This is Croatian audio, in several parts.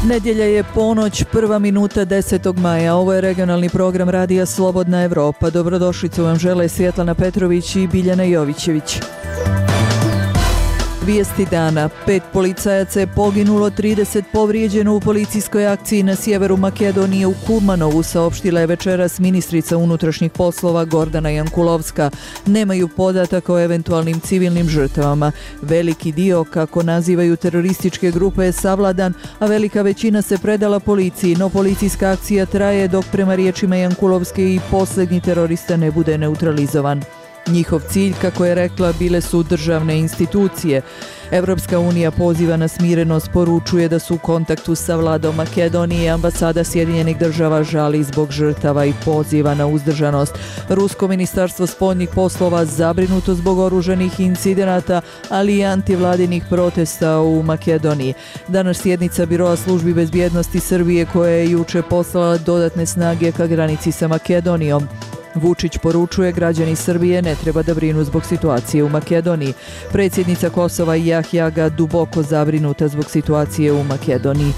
Nedjelja je ponoć, 1 minuta 10. maja. Ovo je regionalni program Radija Slobodna Evropa. Dobrodošlicu vam žele Svjetlana Petrović i Biljana Jovićević. Vijesti dana. 5 policajaca je poginulo, 30 povrijeđeno u policijskoj akciji na sjeveru Makedonije u Kumanovu, saopštila je večeras ministrica unutrašnjih poslova Gordana Jankulovska. Nemaju podataka o eventualnim civilnim žrtvama. Veliki dio, kako nazivaju terorističke grupe, je savladan, a velika većina se predala policiji, no policijska akcija traje dok prema riječima Jankulovske i posljednji terorista ne bude neutralizovan. Njihov cilj, kako je rekla, bile su državne institucije. Evropska unija poziva na smirenost, poručuje da su u kontaktu sa vladom Makedonije, ambasada Sjedinjenih država žali zbog žrtava i poziva na uzdržanost. Rusko ministarstvo spoljnih poslova zabrinuto zbog oružanih incidenata, ali i antivladinih protesta u Makedoniji. Danas sjednica Biroa službi bezbjednosti Srbije koja je juče poslala dodatne snage ka granici sa Makedonijom. Vučić poručuje, građani Srbije ne treba da brinu zbog situacije u Makedoniji. Predsjednica Kosova Jahjaga duboko zabrinuta zbog situacije u Makedoniji.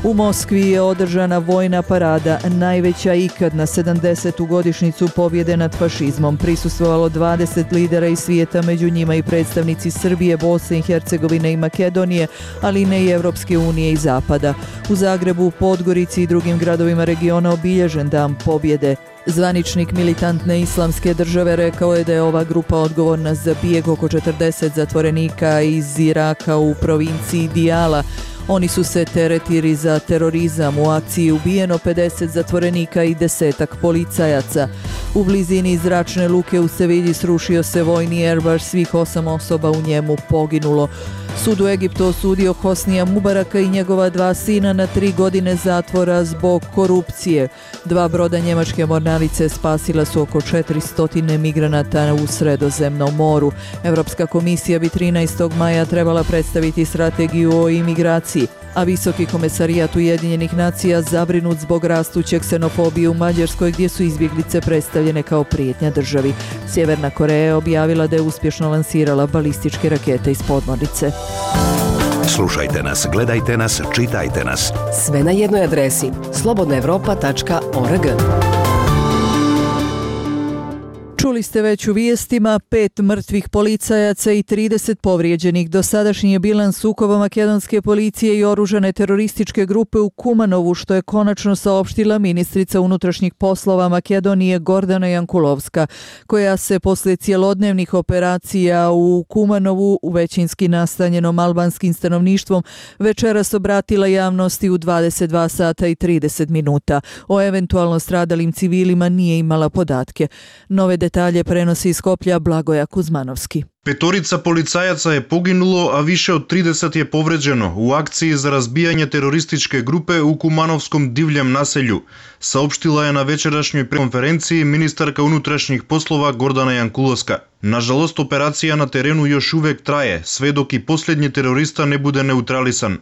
U Moskvi je održana vojna parada, najveća ikad na 70. godišnjicu pobjede nad fašizmom. Prisustvovalo 20 lidera iz svijeta, među njima i predstavnici Srbije, Bosne i Hercegovine i Makedonije, ali ne i Evropske unije i Zapada. U Zagrebu, Podgorici i drugim gradovima regiona obilježen dan pobjede. Zvaničnik militantne islamske države rekao je da je ova grupa odgovorna za bijeg oko 40 zatvorenika iz Iraka u provinciji Dijala. Oni su se teretili za terorizam. U akciji ubijeno 50 zatvorenika i 10-ak policajaca. U blizini zračne luke u Sevilji srušio se vojni Airbus, svih 8 osoba u njemu poginulo. Sud u Egiptu osudio Hosnija Mubaraka i njegova 2 sina na 3 godine zatvora zbog korupcije. 2 broda njemačke mornarice spasila su oko 400 migranata u Sredozemnom moru. Evropska komisija bi 13. maja trebala predstaviti strategiju o imigraciji, a Visoki komesarijat Ujedinjenih nacija zabrinut zbog rastuće ksenofobije u Mađarskoj, gdje su izbjeglice predstavljene kao prijetnja državi. Sjeverna Koreja je objavila da je uspješno lansirala balističke rakete iz podmornice. Slušajte nas, gledajte nas, čitajte nas. Sve na jednoj adresi slobodnaevropa.org. Čuli ste već u vijestima, 5 mrtvih policajaca i 30 povrijeđenih. Dosadašnji je bilans sukoba makedonske policije i oružane terorističke grupe u Kumanovu, što je konačno saopštila ministrica unutrašnjih poslova Makedonije Gordana Jankulovska, koja se poslije cjelodnevnih operacija u Kumanovu, u većinski nastanjenom albanskim stanovništvom, večeras obratila javnosti u 22 sata i 30 minuta. O eventualno stradalim civilima nije imala podatke. Nove detalje prenosi iz Skoplja Blagoja Kuzmanovski. 5 policajaca je poginulo, a više od 30 je povređeno u akciji za razbijanje terorističke grupe u Kumanovskom divljem naselju, saopštila je na večerašnjoj konferenciji ministarka unutrašnjih poslova Gordana Jankulovska. Nažalost, operacija na terenu još uvijek traje, sve dok i posljednji terorista ne bude neutralisan.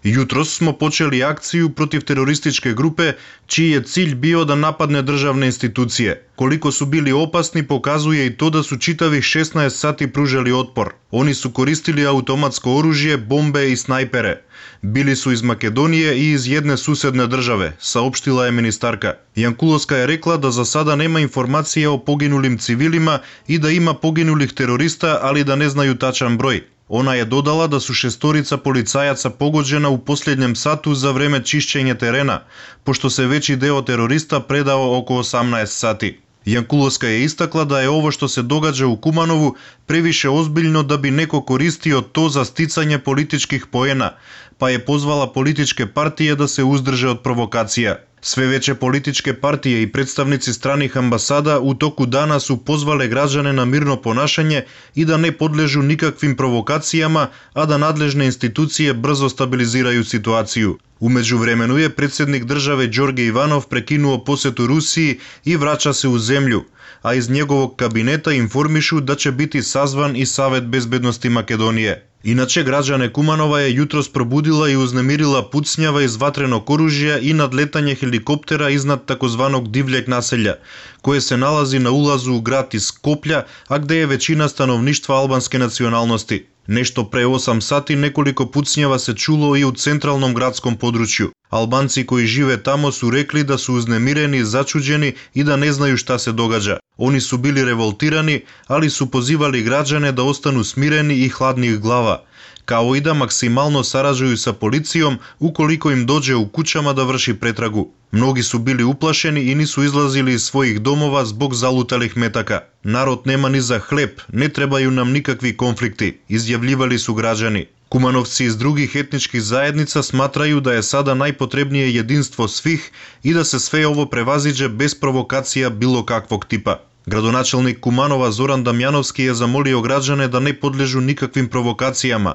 Jutros smo počeli akciju protiv terorističke grupe, čiji je cilj bio da napadne državne institucije. Koliko su bili opasni pokazuje i to da su čitavih 16 sati pružali otpor. Oni su koristili automatsko oružje, bombe i snajpere. Bili su iz Makedonije i iz jedne susjedne države, saopštila je ministarka. Jankulovska je rekla da za sada nema informacije o poginulim civilima i da ima poginulih terorista, ali da ne znaju tačan broj. Ona je dodala da su 6 policajaca pogođena u posljednjem satu za vreme čišćenja terena, pošto se veći deo terorista predao oko 18 sati. Jankulovska je istakla da je ovo što se događa u Kumanovu previše ozbiljno da bi neko koristio to za sticanje političkih poena, pa je pozvala političke partije da se uzdrže od provokacija. Sve veće političke partije i predstavnici stranih ambasada u toku dana su pozvale građane na mirno ponašanje i da ne podležu nikakvim provokacijama, a da nadležne institucije brzo stabiliziraju situaciju. U međuvremenu je predsjednik države Đorđe Ivanov prekinuo posjetu Rusiji i vraća se u zemlju, a iz njegovog kabineta informišu da će biti sazvan i Savet bezbednosti Makedonije. Inače, građane Kumanova je jutros probudila i uznemirila pucnjava iz vatrenog oružja i nadletanje helikoptera iznad takozvanog divljeg naselja, koje se nalazi na ulazu u grad iz Skoplja, a gde je većina stanovništva albanske nacionalnosti. Нешто пре 8 сати неколико пуцњава се чуло и у централном градском подручју. Албанци кои живе тамо су рекли да су узнемирени, зачуđени и да не знају шта се догаѓа. Они су били револтирани, али су позивали граѓане да остану смирени и хладни глава, као и да максимално сараđују са полицијом уколико им доđе у куќама да врши претрагу. Многи су били уплашени и ни су излазили из својих домова због залуталих метака. Народ нема ни за хлеб, не требају нам никакви конфликти, изјавливали су граđани. Кумановци из других етнички заедница сматрају да е сада најпотребнije единство свих и да се све ово превазиđе без провокација било каквог типа. Градоначелник Куманова Зоран Дамјановски е замолио граđane да не подлежу никаквим провокацијама.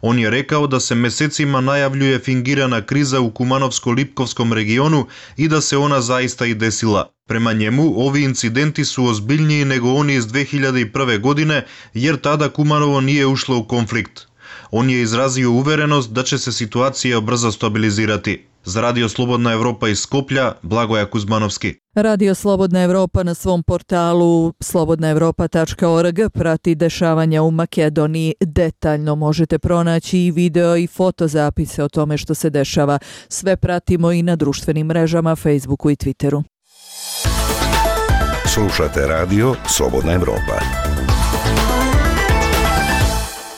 Он е рекао да се месецима најављуе фингирана криза у Кумановско-Липковском региону и да се она заиста и десила. Према njemu, ovi incidenti su ozbiljniji nego oni iz 2001. godine, jer tada Kumanovo nije ušlo u konflikt. On je izrazio uverenost da će se situacija brzo stabilizirati. Za Radio Slobodna Evropa iz Skoplja, Blagoja Kuzmanovski. Radio Slobodna Evropa na svom portalu slobodnaevropa.org prati dešavanja u Makedoniji. Detaljno možete pronaći i video i fotozapise o tome što se dešava. Sve pratimo i na društvenim mrežama, Facebooku i Twitteru. Slušate Radio Slobodna Evropa.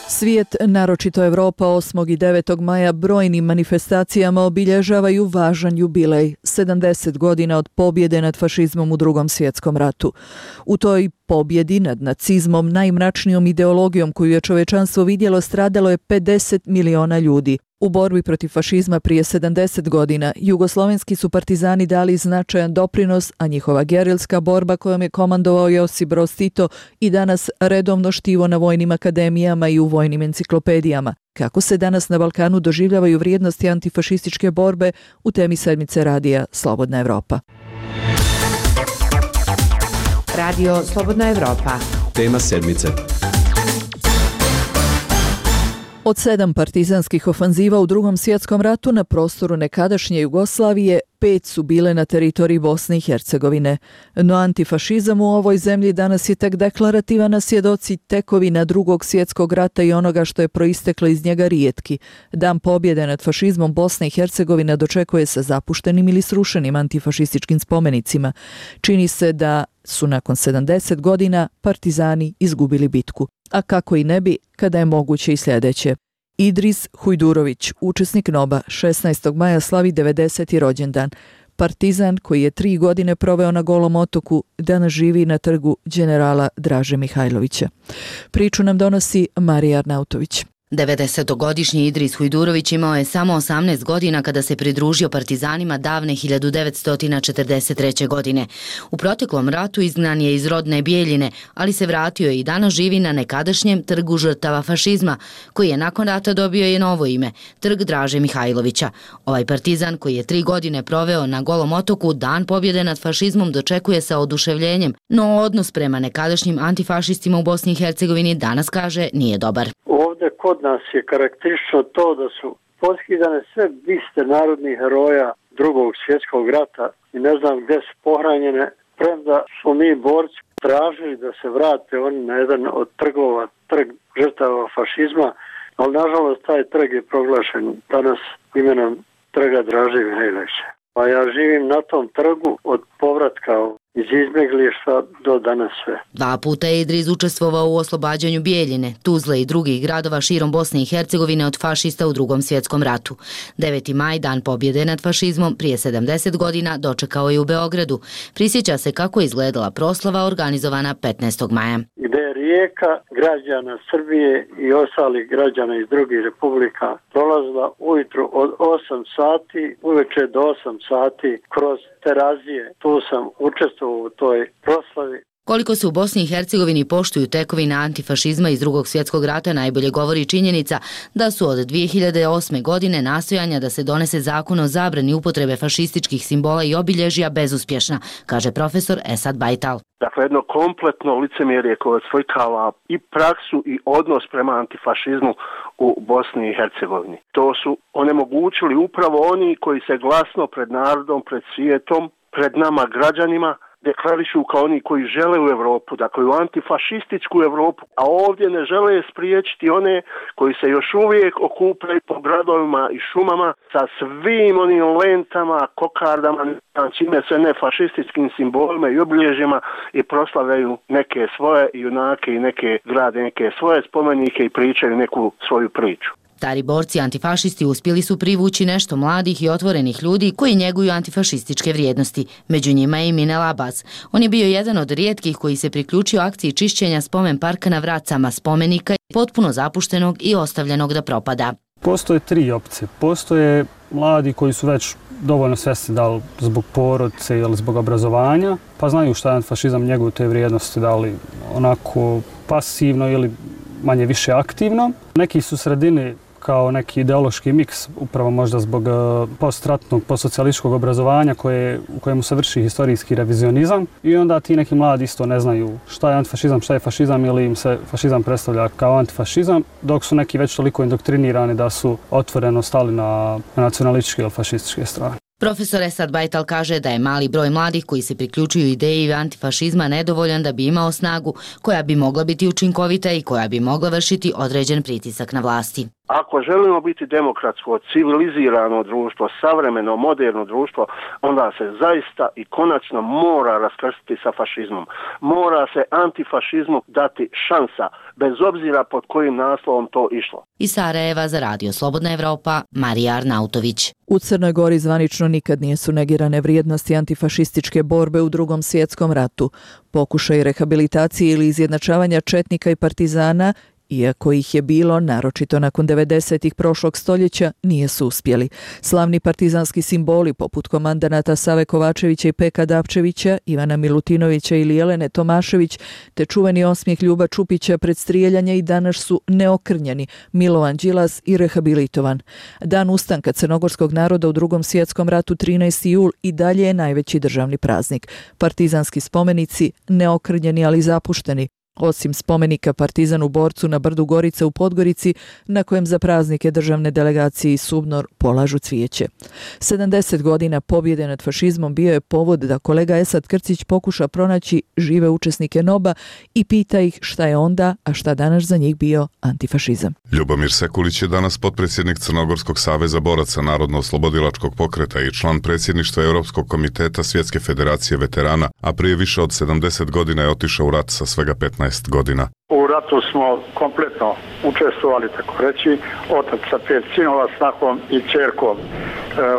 Svijet, naročito Evropa, 8. i 9. maja brojnim manifestacijama obilježavaju važan jubilej, 70 godina od pobjede nad fašizmom u Drugom svjetskom ratu. U toj pobjedi nad nacizmom, najmračnijom ideologijom koju je čovečanstvo vidjelo, stradalo je 50 miliona ljudi. U borbi protiv fašizma prije 70 godina jugoslovenski su partizani dali značajan doprinos, a njihova gerilska borba kojom je komandovao Josip Broz Tito i danas redovno štivo na vojnim akademijama i u vojnim enciklopedijama. Kako se danas na Balkanu doživljavaju vrijednosti antifašističke borbe, u temi sedmice radija Slobodna Evropa. Radio Slobodna Evropa. Tema sedmice. Od 7 partizanskih ofanziva u Drugom svjetskom ratu na prostoru nekadašnje Jugoslavije, 5 su bile na teritoriji Bosne i Hercegovine. No antifašizam u ovoj zemlji danas je tek deklarativan, a svjedoci tekovina Drugog svjetskog rata i onoga što je proisteklo iz njega rijetki. Dan pobjede nad fašizmom Bosna i Hercegovina dočekuje sa zapuštenim ili srušenim antifašističkim spomenicima. Čini se da su nakon 70 godina partizani izgubili bitku. A kako i ne bi, kada je moguće i sljedeće. Idris Hujdurović, učesnik NOB-a, 16. maja slavi 90. rođendan. Partizan koji je 3 godine proveo na Golom otoku, danas živi na trgu generala Draže Mihajlovića. Priču nam donosi Marija Arnautović. 90-godišnji Idris Hujdurović imao je samo 18 godina kada se pridružio partizanima davne 1943. godine. U proteklom ratu izgnan je iz rodne Bijeljine, ali se vratio i danas živi na nekadašnjem trgu žrtava fašizma, koji je nakon rata dobio i novo ime, trg Draže Mihajlovića. Ovaj partizan koji je 3 godine proveo na Golom otoku, dan pobjede nad fašizmom dočekuje sa oduševljenjem, no odnos prema nekadašnjim antifašistima u Bosni i Hercegovini danas, kaže, nije dobar. Ovdje kod nas je karakteristično to da su poskidane sve biste narodnih heroja Drugog svjetskog rata i ne znam gdje su pohranjene, premda smo mi borci tražili da se vrate oni na jedan od trgova, trg žrtava fašizma, ali nažalost taj trg je proglašen danas imenom trga Draže Mihajlovića. Pa ja živim na tom trgu od povratka iz izbjeglištva do danas sve. 2 puta je Idris učestvovao u oslobađanju Bijeljine, Tuzle i drugih gradova širom Bosne i Hercegovine od fašista u Drugom svjetskom ratu. 9. maj, dan pobjede nad fašizmom, prije 70 godina dočekao je u Beogradu. Prisjeća se kako je izgledala proslava organizovana 15. maja. Gde je rijeka građana Srbije i ostalih građana iz drugih republika prolazila ujutru od 8 sati, uveče do 8 sati kroz Terazije. Tu sam učestvovao u toj proslavi. Koliko se u Bosni i Hercegovini poštuju tekovine antifašizma iz Drugog svjetskog rata najbolje govori činjenica da su od 2008. godine nastojanja da se donese zakon o zabrani upotrebe fašističkih simbola i obilježja bezuspješna, kaže profesor Esad Bajtal. Dakle, jedno kompletno licemjerje koje oslikava i praksu i odnos prema antifašizmu u Bosni i Hercegovini. To su onemogućili upravo oni koji se glasno pred narodom, pred svijetom, pred nama građanima deklarišu kao oni koji žele u Europu, dakle u antifašističku Europu, a ovdje ne žele spriječiti one koji se još uvijek okupljaju po gradovima i šumama sa svim onim lentama, kokardama, čime se ne fašističkim simbolima i obilježjima i proslavljaju neke svoje junake i neke grade, neke svoje spomenike i pričaju neku svoju priču. Stari borci antifašisti uspjeli su privući nešto mladih i otvorenih ljudi koji njeguju antifašističke vrijednosti. Među njima je i Minel Abbas. On je bio jedan od rijetkih koji se priključio akciji čišćenja spomen parka na Vracama, spomenika potpuno zapuštenog i ostavljenog da propada. Postoje 3 opcije. Postoje mladi koji su već dovoljno svjesni da li zbog porodice ili zbog obrazovanja, pa znaju šta je antifašizam, njeguju te vrijednosti, da li onako pasivno ili manje više aktivno. Neki su sredini kao neki ideološki miks, upravo možda zbog postratnog, postsocijalističkog obrazovanja u kojemu se vrši historijski revizionizam i onda ti neki mladi isto ne znaju šta je antifašizam, šta je fašizam ili im se fašizam predstavlja kao antifašizam, dok su neki već toliko indoktrinirani da su otvoreno stali na nacionalističke ili fašističke strane. Profesor Esad Bajtal kaže da je mali broj mladih koji se priključuju ideji antifašizma nedovoljan da bi imao snagu koja bi mogla biti učinkovita i koja bi mogla vršiti određen pritisak na vlasti. Ako želimo biti demokratsko, civilizirano društvo, savremeno, moderno društvo, onda se zaista i konačno mora raskrstiti sa fašizmom. Mora se antifašizmu dati šansa, bez obzira pod kojim naslovom to išlo. Iz Sarajeva za Radio Slobodna Evropa, Marija Arnautović. U Crnoj Gori zvanično nikad nisu negirane vrijednosti antifašističke borbe u Drugom svjetskom ratu. Pokušaj rehabilitacije ili izjednačavanja četnika i partizana, iako ih je bilo, naročito nakon 90-ih prošlog stoljeća, nije su uspjeli. Slavni partizanski simboli poput komandanata Save Kovačevića i Peka Dapčevića, Ivana Milutinovića ili Jelene Tomašević, te čuveni osmijeh Ljuba Čupića pred strijeljanje i danas su neokrnjeni, Milovan Đilas i rehabilitovan. Dan ustanka crnogorskog naroda u Drugom svjetskom ratu 13. jul i dalje je najveći državni praznik. Partizanski spomenici neokrnjeni ali zapušteni, osim spomenika partizanu borcu na brdu Gorica u Podgorici, na kojem za praznike državne delegacije i Subnor polažu cvijeće. 70 godina pobjede nad fašizmom bio je povod da kolega Esad Krcić pokuša pronaći žive učesnike NOB-a i pita ih šta je onda, a šta danas za njih bio antifašizam. Ljubomir Sekulić je danas potpredsjednik Crnogorskog saveza boraca Narodno-oslobodilačkog pokreta i član predsjedništva Europskog komiteta Svjetske federacije veterana, a prije više od 70 godina je otišao u rat sa svega 15 godina. U ratu smo kompletno učestvovali, tako reći, otac sa 5 sinova, snahom i ćerkom.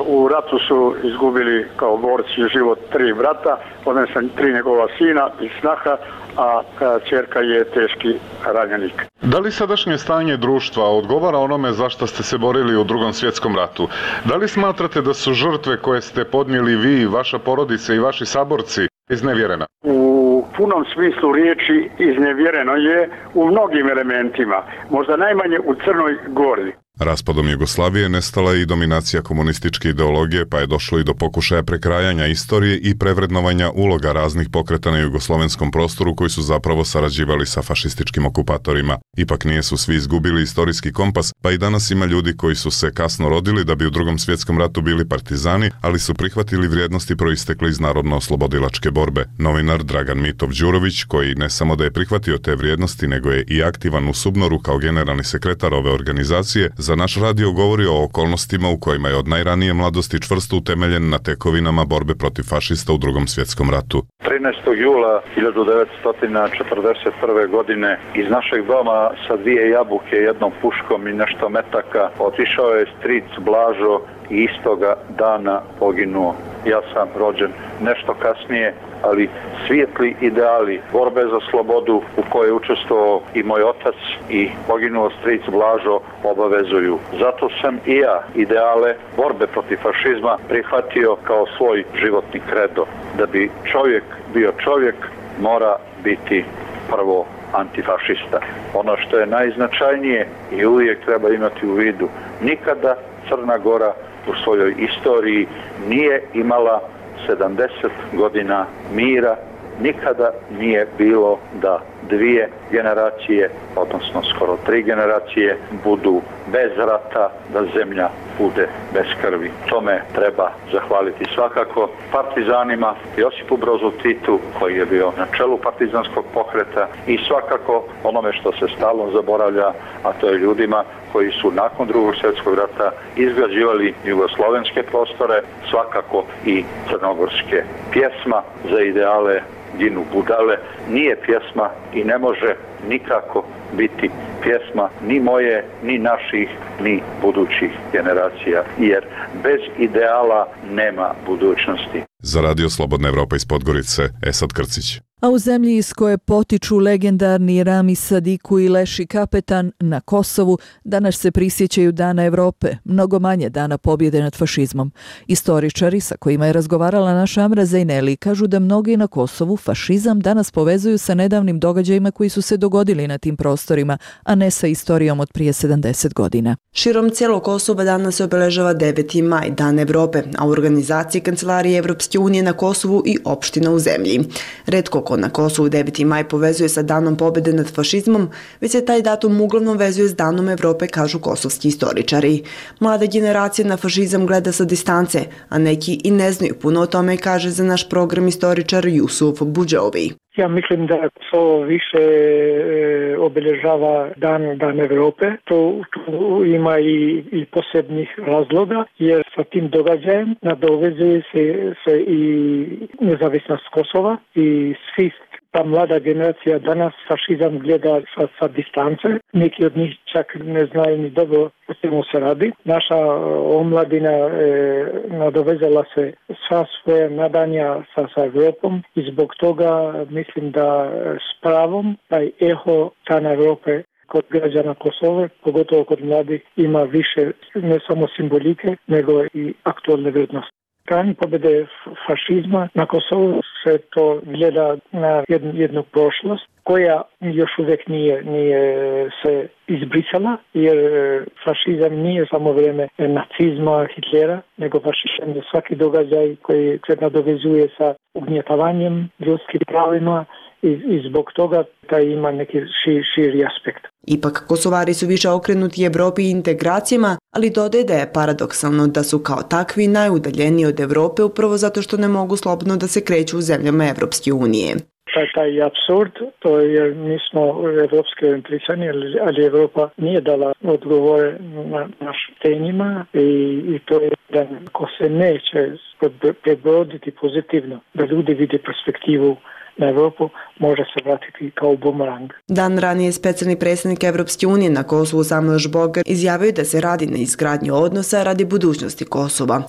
U ratu su izgubili kao borci život 3 brata, odnosno 3 njegova sina i snaha, a ćerka je teški ranjenik. Da li sadašnje stanje društva odgovara onome za što ste se borili u Drugom svjetskom ratu? Da li smatrate da su žrtve koje ste podnijeli vi, vaša porodica i vaši saborci iznevjerena? U punom smislu riječi iznevjereno je u mnogim elementima, možda najmanje u Crnoj Gori. Raspadom Jugoslavije nestala je i dominacija komunističke ideologije, pa je došlo i do pokušaja prekrajanja istorije i prevrednovanja uloga raznih pokreta na jugoslovenskom prostoru koji su zapravo sarađivali sa fašističkim okupatorima. Ipak nije su svi izgubili istorijski kompas, pa i danas ima ljudi koji su se kasno rodili da bi u Drugom svjetskom ratu bili partizani, ali su prihvatili vrijednosti proistekle iz narodno-oslobodilačke borbe. Novinar Dragan Mitov Đurović, koji ne samo da je prihvatio te vrijednosti, nego je i aktivan u Subnoru kao generalni sekretar ove organizacije, za naš radio govori o okolnostima u kojima je od najranije mladosti čvrsto utemeljen na tekovinama borbe protiv fašista u Drugom svjetskom ratu. 13. jula 1941. godine iz našeg doma sa 2 jabuke, jednom puškom i nešto metaka otišao je stric Blažo i istoga dana poginuo. Ja sam rođen nešto kasnije, ali svijetli ideali borbe za slobodu u kojoj je učestvovao i moj otac i poginuo stric Blažo obavezuju. Zato sam i ja ideale borbe protiv fašizma prihvatio kao svoj životni kredo. Da bi čovjek bio čovjek, mora biti prvo antifašista. Ono što je najznačajnije i uvijek treba imati u vidu, nikada Crna Gora u svojoj istoriji nije imala 70 godina mira, nikada nije bilo da 2 generacije, odnosno skoro 3 generacije, budu bez rata, da zemlja bude bez krvi. Tome treba zahvaliti svakako partizanima, Josipu Brozu Titu, koji je bio na čelu partizanskog pokreta, i svakako onome što se stalno zaboravlja, a to je ljudima koji su nakon Drugog svjetskog rata izgrađivali jugoslovenske prostore, svakako i crnogorske. Pjesma za ideale ginu budale nije pjesma i ne može nikako biti pjesma ni moje, ni naših, ni budućih generacija, jer bez ideala nema budućnosti. Za Radio Slobodna Evropa iz Podgorice, Esad Krcić. A u zemlji iz koje potiču legendarni Rami Sadiku i Leši Kapetan, na Kosovu, danas se prisjećaju Dana Evrope, mnogo manje Dana pobjede nad fašizmom. Istoričari sa kojima je razgovarala naša Amra Zejneli kažu da mnogi na Kosovu fašizam danas povezuju sa nedavnim događajima koji su se dogodili na tim prostorima, a ne sa istorijom od prije 70 godina. Širom cijelog Kosova danas se obeležava 9. maj, Dan Evrope, a u organizaciji Kancelarije Evropske unije na Kosovu i opština u zemlji. Retko ko na Kosovu 9. maj povezuje sa Danom pobjede nad fašizmom, već se taj datum uglavnom vezuje s Danom Evrope, kažu kosovski istoričari. Mlada generacija na fašizam gleda sa distance, a neki i ne znaju puno o tome, kaže za naš program istoričar Jusuf Buđovi. Ja mislim da Kosovo više obeležava Dan Evrope. Tu ima i posebnih razloga, jer sa tim događajem nadovezuje se i nezavisnost Kosova i svi. Ta mlada generacija danas fašizam gleda sa distance. Neki od njih čak ne znaju ni dobro o čemu se radi. Naša omladina nadovezala se sva svoja nadanja sa Evropom i zbog toga mislim da s pravom taj eho Dana Evrope kod građana Kosova, pogotovo kod mladih, ima više ne samo simbolike, nego i aktualne vrednosti. Dan pobjede fašizma na Kosovu se to gleda na jednu prošlost koja još uvijek nije se izbrisala, jer fašizam nije samo vrijeme nacizma, Hitlera, nego fašizam je svaki događaj koji se nadovezuje sa ugnjetavanjem ljudskih pravima i zbog toga taj ima neki širi aspekt. Ipak, Kosovari su više okrenuti Evropi i integracijama, ali dodaje da je paradoksalno da su kao takvi najudaljeniji od Evrope upravo zato što ne mogu slobodno da se kreću u zemljama Evropske unije. Taj apsurd, to je mi smo evropski orijentisani, ali Evropa nije dala odgovore na našim temima i to je da ko se neće prebroditi pozitivno, da ljudi vide perspektivu na Evropu, može se vratiti kao bumerang. Dan ranije specijalni predstavnik Evropske unije na Kosovu Samuel Žbogar izjavio da se radi na izgradnji odnosa radi budućnosti Kosova.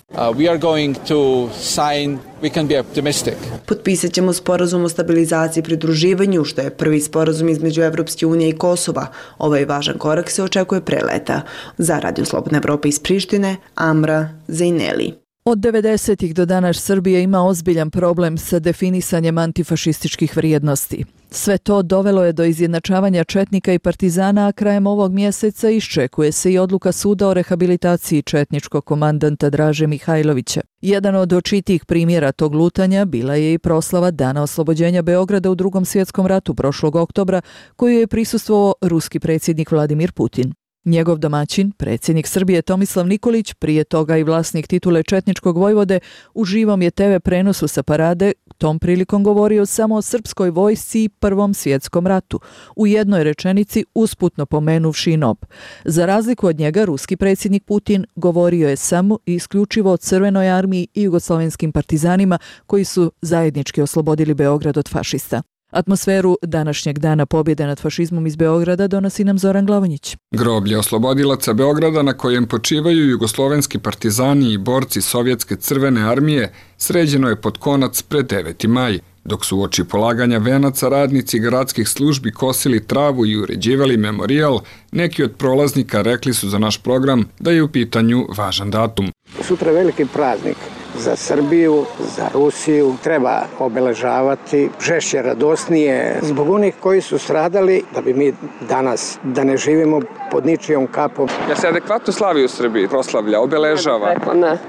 Potpisat ćemo sporazum o stabilizaciji i pridruživanju, što je prvi sporazum između Evropske unije i Kosova. Ovaj važan korak se očekuje pre leta. Za Radio Slobodna Evropa iz Prištine, Amra Zejneli. Od 90-ih do danas Srbija ima ozbiljan problem sa definisanjem antifašističkih vrijednosti. Sve to dovelo je do izjednačavanja četnika i partizana, a krajem ovog mjeseca iščekuje se i odluka suda o rehabilitaciji četničkog komandanta Draže Mihajlovića. Jedan od očitijih primjera tog lutanja bila je i proslava Dana oslobođenja Beograda u Drugom svjetskom ratu prošlog oktobra, koju je prisustvovao ruski predsjednik Vladimir Putin. Njegov domaćin, predsjednik Srbije Tomislav Nikolić, prije toga i vlasnik titule četničkog vojvode, u živom je TV prenosu sa parade tom prilikom govorio samo o srpskoj vojsci i Prvom svjetskom ratu, u jednoj rečenici usputno pomenuvši i NOB. Za razliku od njega, ruski predsjednik Putin govorio je samo i isključivo o Crvenoj armiji i jugoslovenskim partizanima koji su zajednički oslobodili Beograd od fašista. Atmosferu današnjeg dana pobjede nad fašizmom iz Beograda donosi nam Zoran Glavonjić. Groblje oslobodilaca Beograda na kojem počivaju jugoslovenski partizani i borci Sovjetske crvene armije sređeno je pod konac pred 9. maj, dok su uoči polaganja venaca radnici gradskih službi kosili travu i uređivali memorijal, neki od prolaznika rekli su za naš program da je u pitanju važan datum. Sutra je veliki praznik za Srbiju, za Rusiju. Treba obeležavati žešće, radosnije, zbog onih koji su stradali, da bi mi danas, da ne živimo pod ničijom kapom. Ja se adekvatno slavi u Srbiji, proslavlja, obeležava?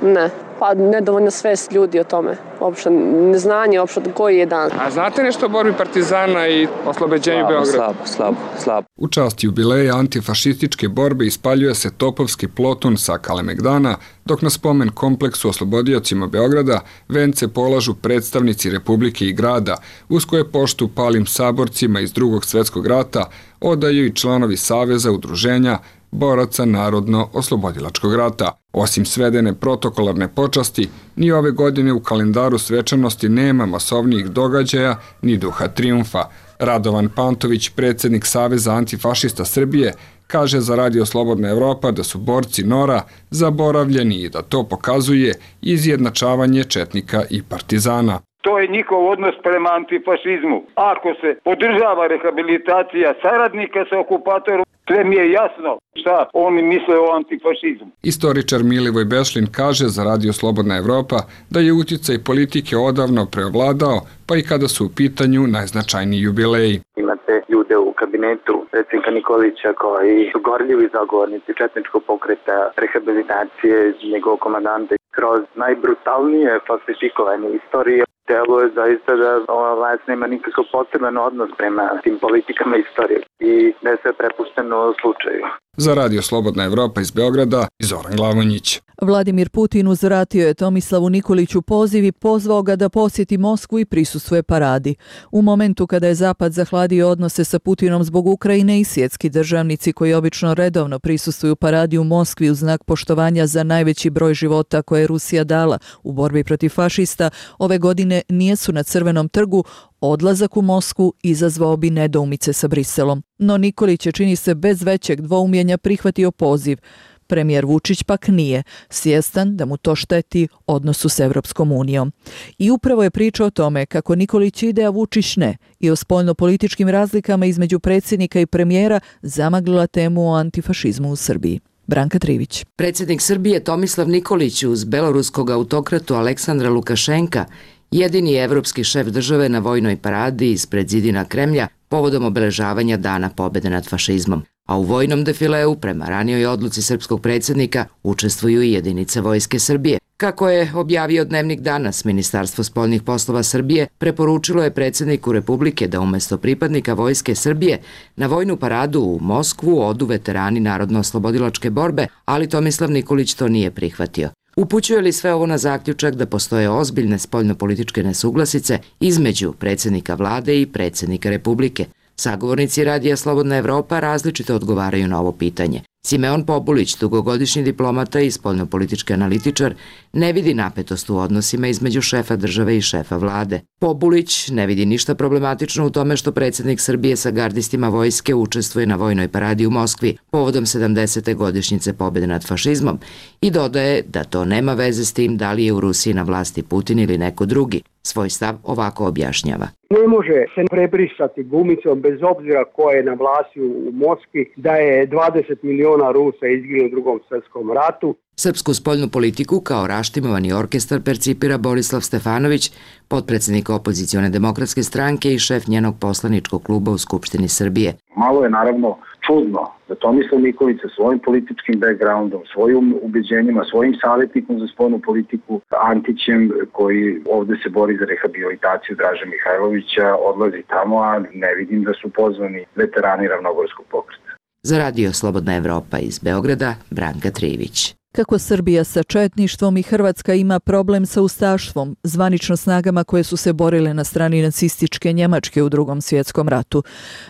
Ne. Pa nedovoljno svest ljudi o tome, uopšte neznanje, uopšte koji je dan. A znate nešto o borbi partizana i oslobođenju Beograda? Slabo. U čast jubileja antifašističke borbe ispaljuje se topovski ploton sa Kalemegdana, dok na spomen kompleksu oslobodiocima Beograda vence polažu predstavnici Republike i grada, uz koje poštu palim saborcima iz Drugog svjetskog rata odaju i članovi Saveza udruženja boraca Narodno-oslobodilačkog rata. Osim svedene protokolarne počasti, ni ove godine u kalendaru svečanosti nema masovnijih događaja ni duha trijumfa. Radovan Pantović, predsjednik Saveza antifašista Srbije, kaže za Radio Slobodna Evropa da su borci NOR-a zaboravljeni i da to pokazuje izjednačavanje četnika i partizana. To je njihov odnos prema antifašizmu. Ako se podržava rehabilitacija saradnika sa okupatorom, sve mi je jasno šta oni misle o antifašizmu. Istoričar Milivoj Bešlin kaže za Radio Slobodna Evropa da je utjecaj politike odavno preovladao, pa i kada su u pitanju najznačajniji jubileji. Imate ljude u kabinetu predsjednika Nikolića koji su gorljivi zagovornici četničkog pokreta, rehabilitacije njegovog komandanta kroz najbrutalnije falsifikovanje istorije. Delo je zaista da ova vlast nema nikakav poseban odnos prema tim politikama istorije i da je sve prepušteno slučaju. Za Radio Slobodna Evropa iz Beograda, Zoran Glavonjić. Vladimir Putin uzvratio je Tomislavu Nikoliću poziv i pozvao ga da posjeti Moskvu i prisustvuje paradi. U momentu kada je Zapad zahladio odnose sa Putinom zbog Ukrajine i svjetski državnici koji obično redovno prisustvuju paradi u Moskvi u znak poštovanja za najveći broj života koje je Rusija dala u borbi protiv fašista, ove godine nijesu na Crvenom trgu, odlazak u Moskvu izazvao bi nedoumice sa Briselom. No Nikolić je, čini se, bez većeg dvoumljenja prihvatio poziv. Premijer Vučić pak nije, svjestan da mu to šteti odnosu s Evropskom unijom. I upravo je priča o tome kako Nikolić ide, a Vučić ne, i o spoljnopolitičkim razlikama između predsjednika i premijera zamaglila temu o antifašizmu u Srbiji. Branka Trivić. Predsjednik Srbije Tomislav Nikolić uz beloruskog autokratu Aleksandra Lukašenka, jedini evropski šef države na vojnoj paradi ispred zidina Kremlja povodom obeležavanja Dana pobjede nad fašizmom. A u vojnom defileu, prema ranijoj odluci srpskog predsjednika, učestvuju i jedinice Vojske Srbije. Kako je objavio Dnevnik Danas, Ministarstvo spoljnih poslova Srbije preporučilo je predsjedniku Republike da umjesto pripadnika Vojske Srbije na vojnu paradu u Moskvu odu veterani Narodno-oslobodilačke borbe, ali Tomislav Nikolić to nije prihvatio. Upućuje li sve ovo na zaključak da postoje ozbiljne spoljnopolitičke nesuglasice između predsjednika vlade i predsjednika Republike? Sagovornici Radija Slobodna Evropa različito odgovaraju na ovo pitanje. Simeon Pobulić, dugogodišnji diplomata i spoljnopolitički analitičar, ne vidi napetost u odnosima između šefa države i šefa vlade. Pobulić ne vidi ništa problematično u tome što predsjednik Srbije sa gardistima vojske učestvuje na vojnoj paradi u Moskvi povodom 70. godišnjice pobjede nad fašizmom i dodaje da to nema veze s tim da li je u Rusiji na vlasti Putin ili neko drugi. Svoj stav ovako objašnjava. Ne može se prebrisati gumicom bez obzira ko je na vlasti u Moskvi da je 20 miliona Rusa izginulo u Drugom svjetskom ratu. Srpsku spoljnu politiku kao raštimovani orkestar percipira Borislav Stefanović, potpredsjednik opozicione demokratske stranke i šef njenog poslaničkog kluba u Skupštini Srbije. Malo je naravno čudno da Tomislav Nikolić sa svojim političkim backgroundom, svojim ubeđenjima, svojim savjetnikom za spoljnu politiku, Antićem, koji ovdje se bori za rehabilitaciju Draže Mihajlovića, odlazi tamo, a ne vidim da su pozvani veterani Ravnogorskog pokreta. Za Radio Slobodna Evropa iz Beograda, Branka Trivić. Kako Srbija sa četništvom i Hrvatska ima problem sa ustaštvom, zvanično snagama koje su se borile na strani nacističke Njemačke u Drugom svjetskom ratu.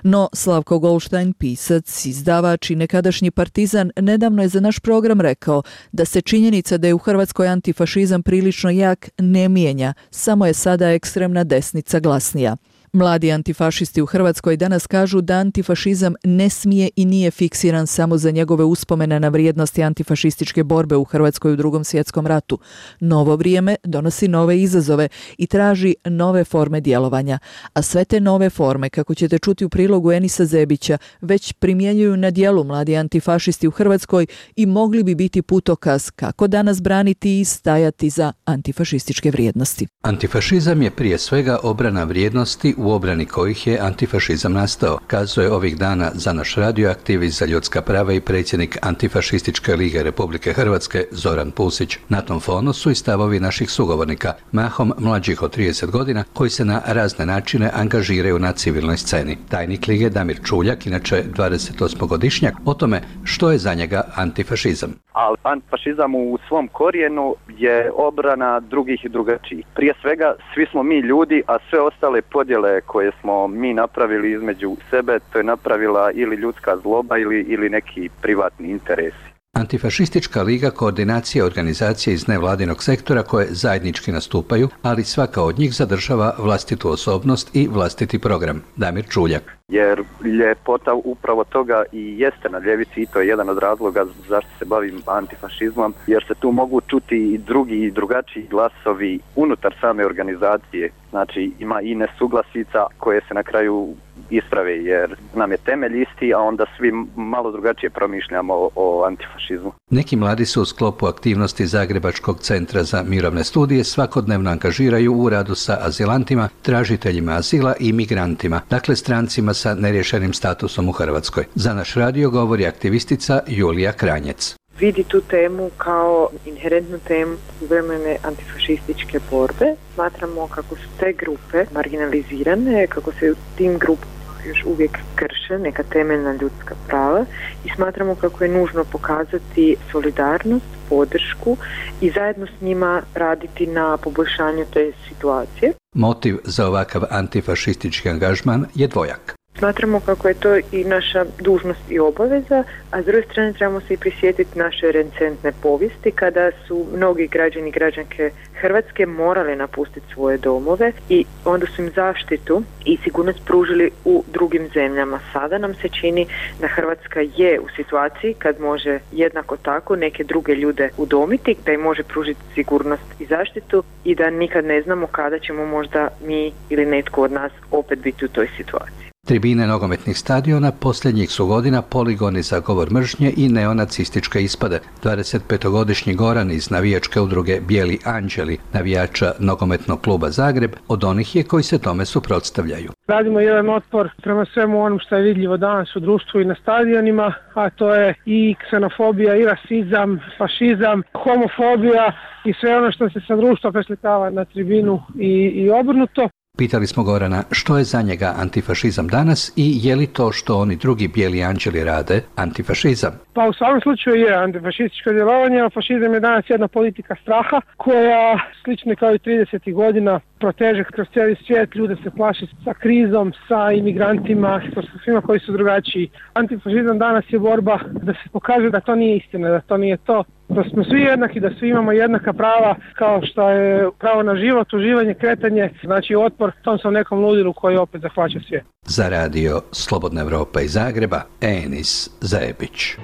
No, Slavko Goldstein, pisac, izdavač i nekadašnji partizan, nedavno je za naš program rekao da se činjenica da je u Hrvatskoj antifašizam prilično jak ne mijenja, samo je sada ekstremna desnica glasnija. Mladi antifašisti u Hrvatskoj danas kažu da antifašizam ne smije i nije fiksiran samo za njegove uspomene na vrijednosti antifašističke borbe u Hrvatskoj u Drugom svjetskom ratu. Novo vrijeme donosi nove izazove i traži nove forme djelovanja. A sve te nove forme, kako ćete čuti u prilogu Enisa Zebića, već primjenjuju na djelu mladi antifašisti u Hrvatskoj i mogli bi biti putokaz kako danas braniti i stajati za antifašističke vrijednosti. Antifašizam je prije svega obrana vrijednosti u obrani kojih je antifašizam nastao, kazuje ovih dana za naš radio aktivist za ljudska prava i predsjednik Antifašističke lige Republike Hrvatske Zoran Pusić. Na tom fonu su i stavovi naših sugovornika, mahom mlađih od 30 godina, koji se na razne načine angažiraju na civilnoj sceni. Tajnik lige Damir Čuljak, inače 28-godišnjak, o tome što je za njega antifašizam. Ali antifašizam u svom korijenu je obrana drugih i drugačijih. Prije svega, svi smo mi ljudi, a sve ostale podjele koje smo mi napravili između sebe, to je napravila ili ljudska zloba ili neki privatni interesi. Antifašistička liga koordinacija organizacije iz nevladinog sektora koje zajednički nastupaju, ali svaka od njih zadržava vlastitu osobnost i vlastiti program. Damir Čuljak. Jer ljepota upravo toga i jeste na ljevici i to je jedan od razloga zašto se bavim antifašizmom, jer se tu mogu čuti i drugi i drugačiji glasovi unutar same organizacije. Znači ima i nesuglasica koje se na kraju isprave jer nam je temelj isti, a onda svi malo drugačije promišljamo o antifašizmu. Neki mladi se u sklopu aktivnosti Zagrebačkog centra za mirovne studije svakodnevno angažiraju u radu sa azilantima, tražiteljima azila i migrantima, dakle strancima sa neriješenim statusom u Hrvatskoj. Za naš radio govori aktivistica Julija Kranjec. Vidi tu temu kao inherentnu temu suvremene antifašističke borbe. Smatramo kako su te grupe marginalizirane, kako se u tim grupama još uvijek krše neka temeljna ljudska prava i smatramo kako je nužno pokazati solidarnost, podršku i zajedno s njima raditi na poboljšanju te situacije. Motiv za ovakav antifašistički angažman je dvojak. Smatramo kako je to i naša dužnost i obaveza, a s druge strane trebamo se i prisjetiti naše recentne povijesti kada su mnogi građani i građanke Hrvatske morali napustiti svoje domove i onda su im zaštitu i sigurnost pružili u drugim zemljama. Sada nam se čini da Hrvatska je u situaciji kad može jednako tako neke druge ljude udomiti, da im može pružiti sigurnost i zaštitu i da nikad ne znamo kada ćemo možda mi ili netko od nas opet biti u toj situaciji. Tribine nogometnih stadiona posljednjih su godina poligoni za govor mržnje i neonacističke ispade. 25-godišnji Goran iz navijačke udruge Bijeli anđeli, navijača nogometnog kluba Zagreb, od onih je koji se tome suprotstavljaju. Radimo jedan otpor prema svemu onom što je vidljivo danas u društvu i na stadionima, a to je i ksenofobija, i rasizam, fašizam, homofobija i sve ono što se sa društva preslikava na tribinu i obrnuto. Pitali smo Gorana što je za njega antifašizam danas i je li to što oni drugi bijeli anđeli rade antifašizam? Pa u svakom slučaju je antifašističko djelovanje, a fašizam je danas jedna politika straha koja slično kao i 30. godina proteže kroz cijeli svijet, ljude se plaši sa krizom, sa imigrantima, sa svima koji su drugačiji. Antifašizam danas je borba da se pokaže da to nije istina, da to nije to, da smo svi jednaki, da svi imamo jednaka prava kao što je pravo na život, uživanje, kretanje, znači otpor tom sam nekom ludilu koji opet zahvaća svijet. Za radio Slobodna Evropa iz Zagreba, Enis Zajebić.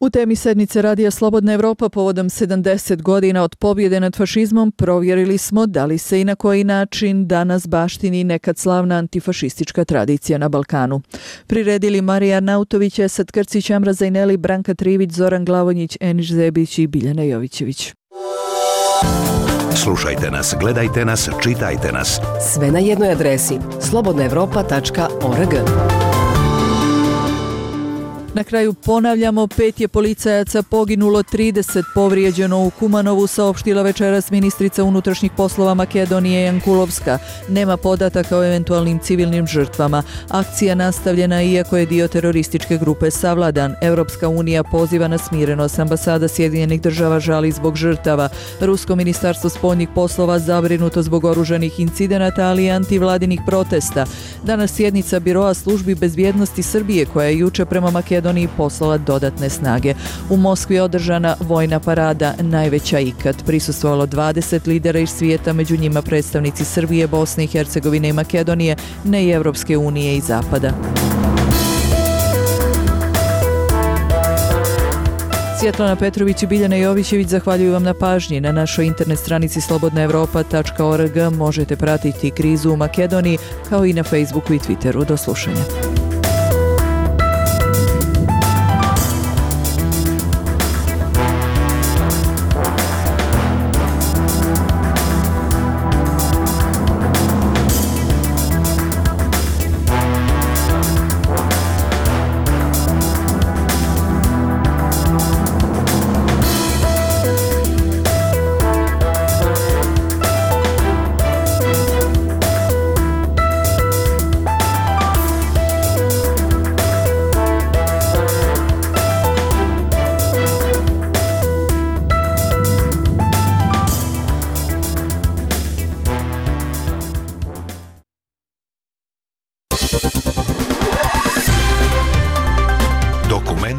U temi sednice Radija Slobodna Evropa povodom 70 godina od pobjede nad fašizmom provjerili smo da li se i na koji način danas baštini nekad slavna antifašistička tradicija na Balkanu. Priredili Marija Arnautović, Esad Krcić, Amra Zajneli, Branka Trivić, Zoran Glavonjić, Eniš Zebić i Biljana Jovićević. Slušajte nas, gledajte nas, čitajte nas. Sve na jednoj adresi slobodnaevropa.org. Na kraju ponavljamo, 5 je policajaca poginulo, 30 povrijeđeno u Kumanovu, saopštila večeras ministrica unutrašnjih poslova Makedonije Jankulovska. Nema podataka o eventualnim civilnim žrtvama. Akcija nastavljena iako je dio terorističke grupe savladan. Europska unija poziva na smirenost. Ambasada Sjedinjenih država žali zbog žrtava. Rusko ministarstvo spoljnih poslova zabrinuto zbog oružanih incidenata, ali i antivladinih protesta. Danas sjednica Biroa službi bezbjednosti Srbije koja je juče prema Makedoniji poslala dodatne snage. U Moskvi je održana vojna parada, najveća ikad. Prisustvovalo 20 lidera iz svijeta, među njima predstavnici Srbije, Bosne i Hercegovine i Makedonije, ne i Evropske unije i Zapada. Svjetlana Petrović i Biljana Jovićević zahvaljuju vam na pažnji. Na našoj internet stranici slobodnaevropa.org možete pratiti krizu u Makedoniji, kao i na Facebooku i Twitteru. Do slušanja.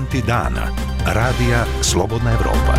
Momenti dana. Radija Slobodna Evropa.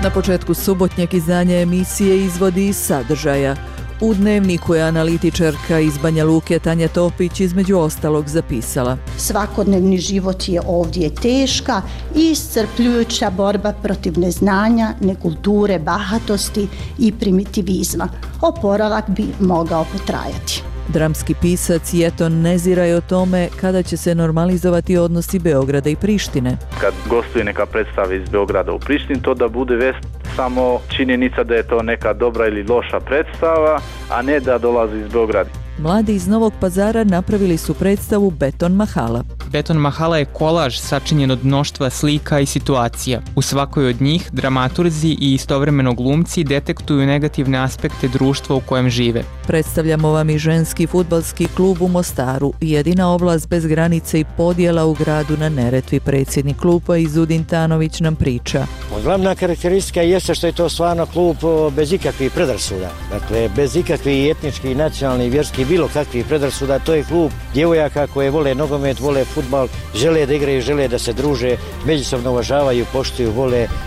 Na početku subotnjeg izdanja emisije Izvodi iz sadržaja. U Dnevniku je analitičarka iz Banja Luke Tanja Topić između ostalog zapisala: svakodnevni život je ovdje teška i iscrpljujuća borba protiv neznanja, nekulture, bahatosti i primitivizma. Oporavak bi mogao potrajati. Dramski pisac Jeton Nezira je o tome kada će se normalizovati odnosi Beograda i Prištine. Kad gostuje neka predstava iz Beograda u Prištini, to da bude vest samo činjenica da je to neka dobra ili loša predstava, a ne da dolazi iz Beograda. Mladi iz Novog Pazara napravili su predstavu Beton Mahala. Beton Mahala je kolaž sačinjen od mnoštva slika i situacija. U svakoj od njih dramaturzi i istovremeno glumci detektuju negativne aspekte društva u kojem žive. Predstavljamo vam i ženski fudbalski klub u Mostaru, jedina oblast bez granice i podjela u gradu na Neretvi. Predsjednik kluba Izudin Tanović nam priča. Glavna karakteristika jeste što je to stvarno klub bez ikakvih predrasuda. Dakle, bez ikakvih etničkih, nacionalnih, vjerskih, bilo kakvih predrasuda. To je klub djevojaka koje vole nogomet, vole fudbal, žele da igraju, žele da se druže, međusobno uvažavaju, poštuju,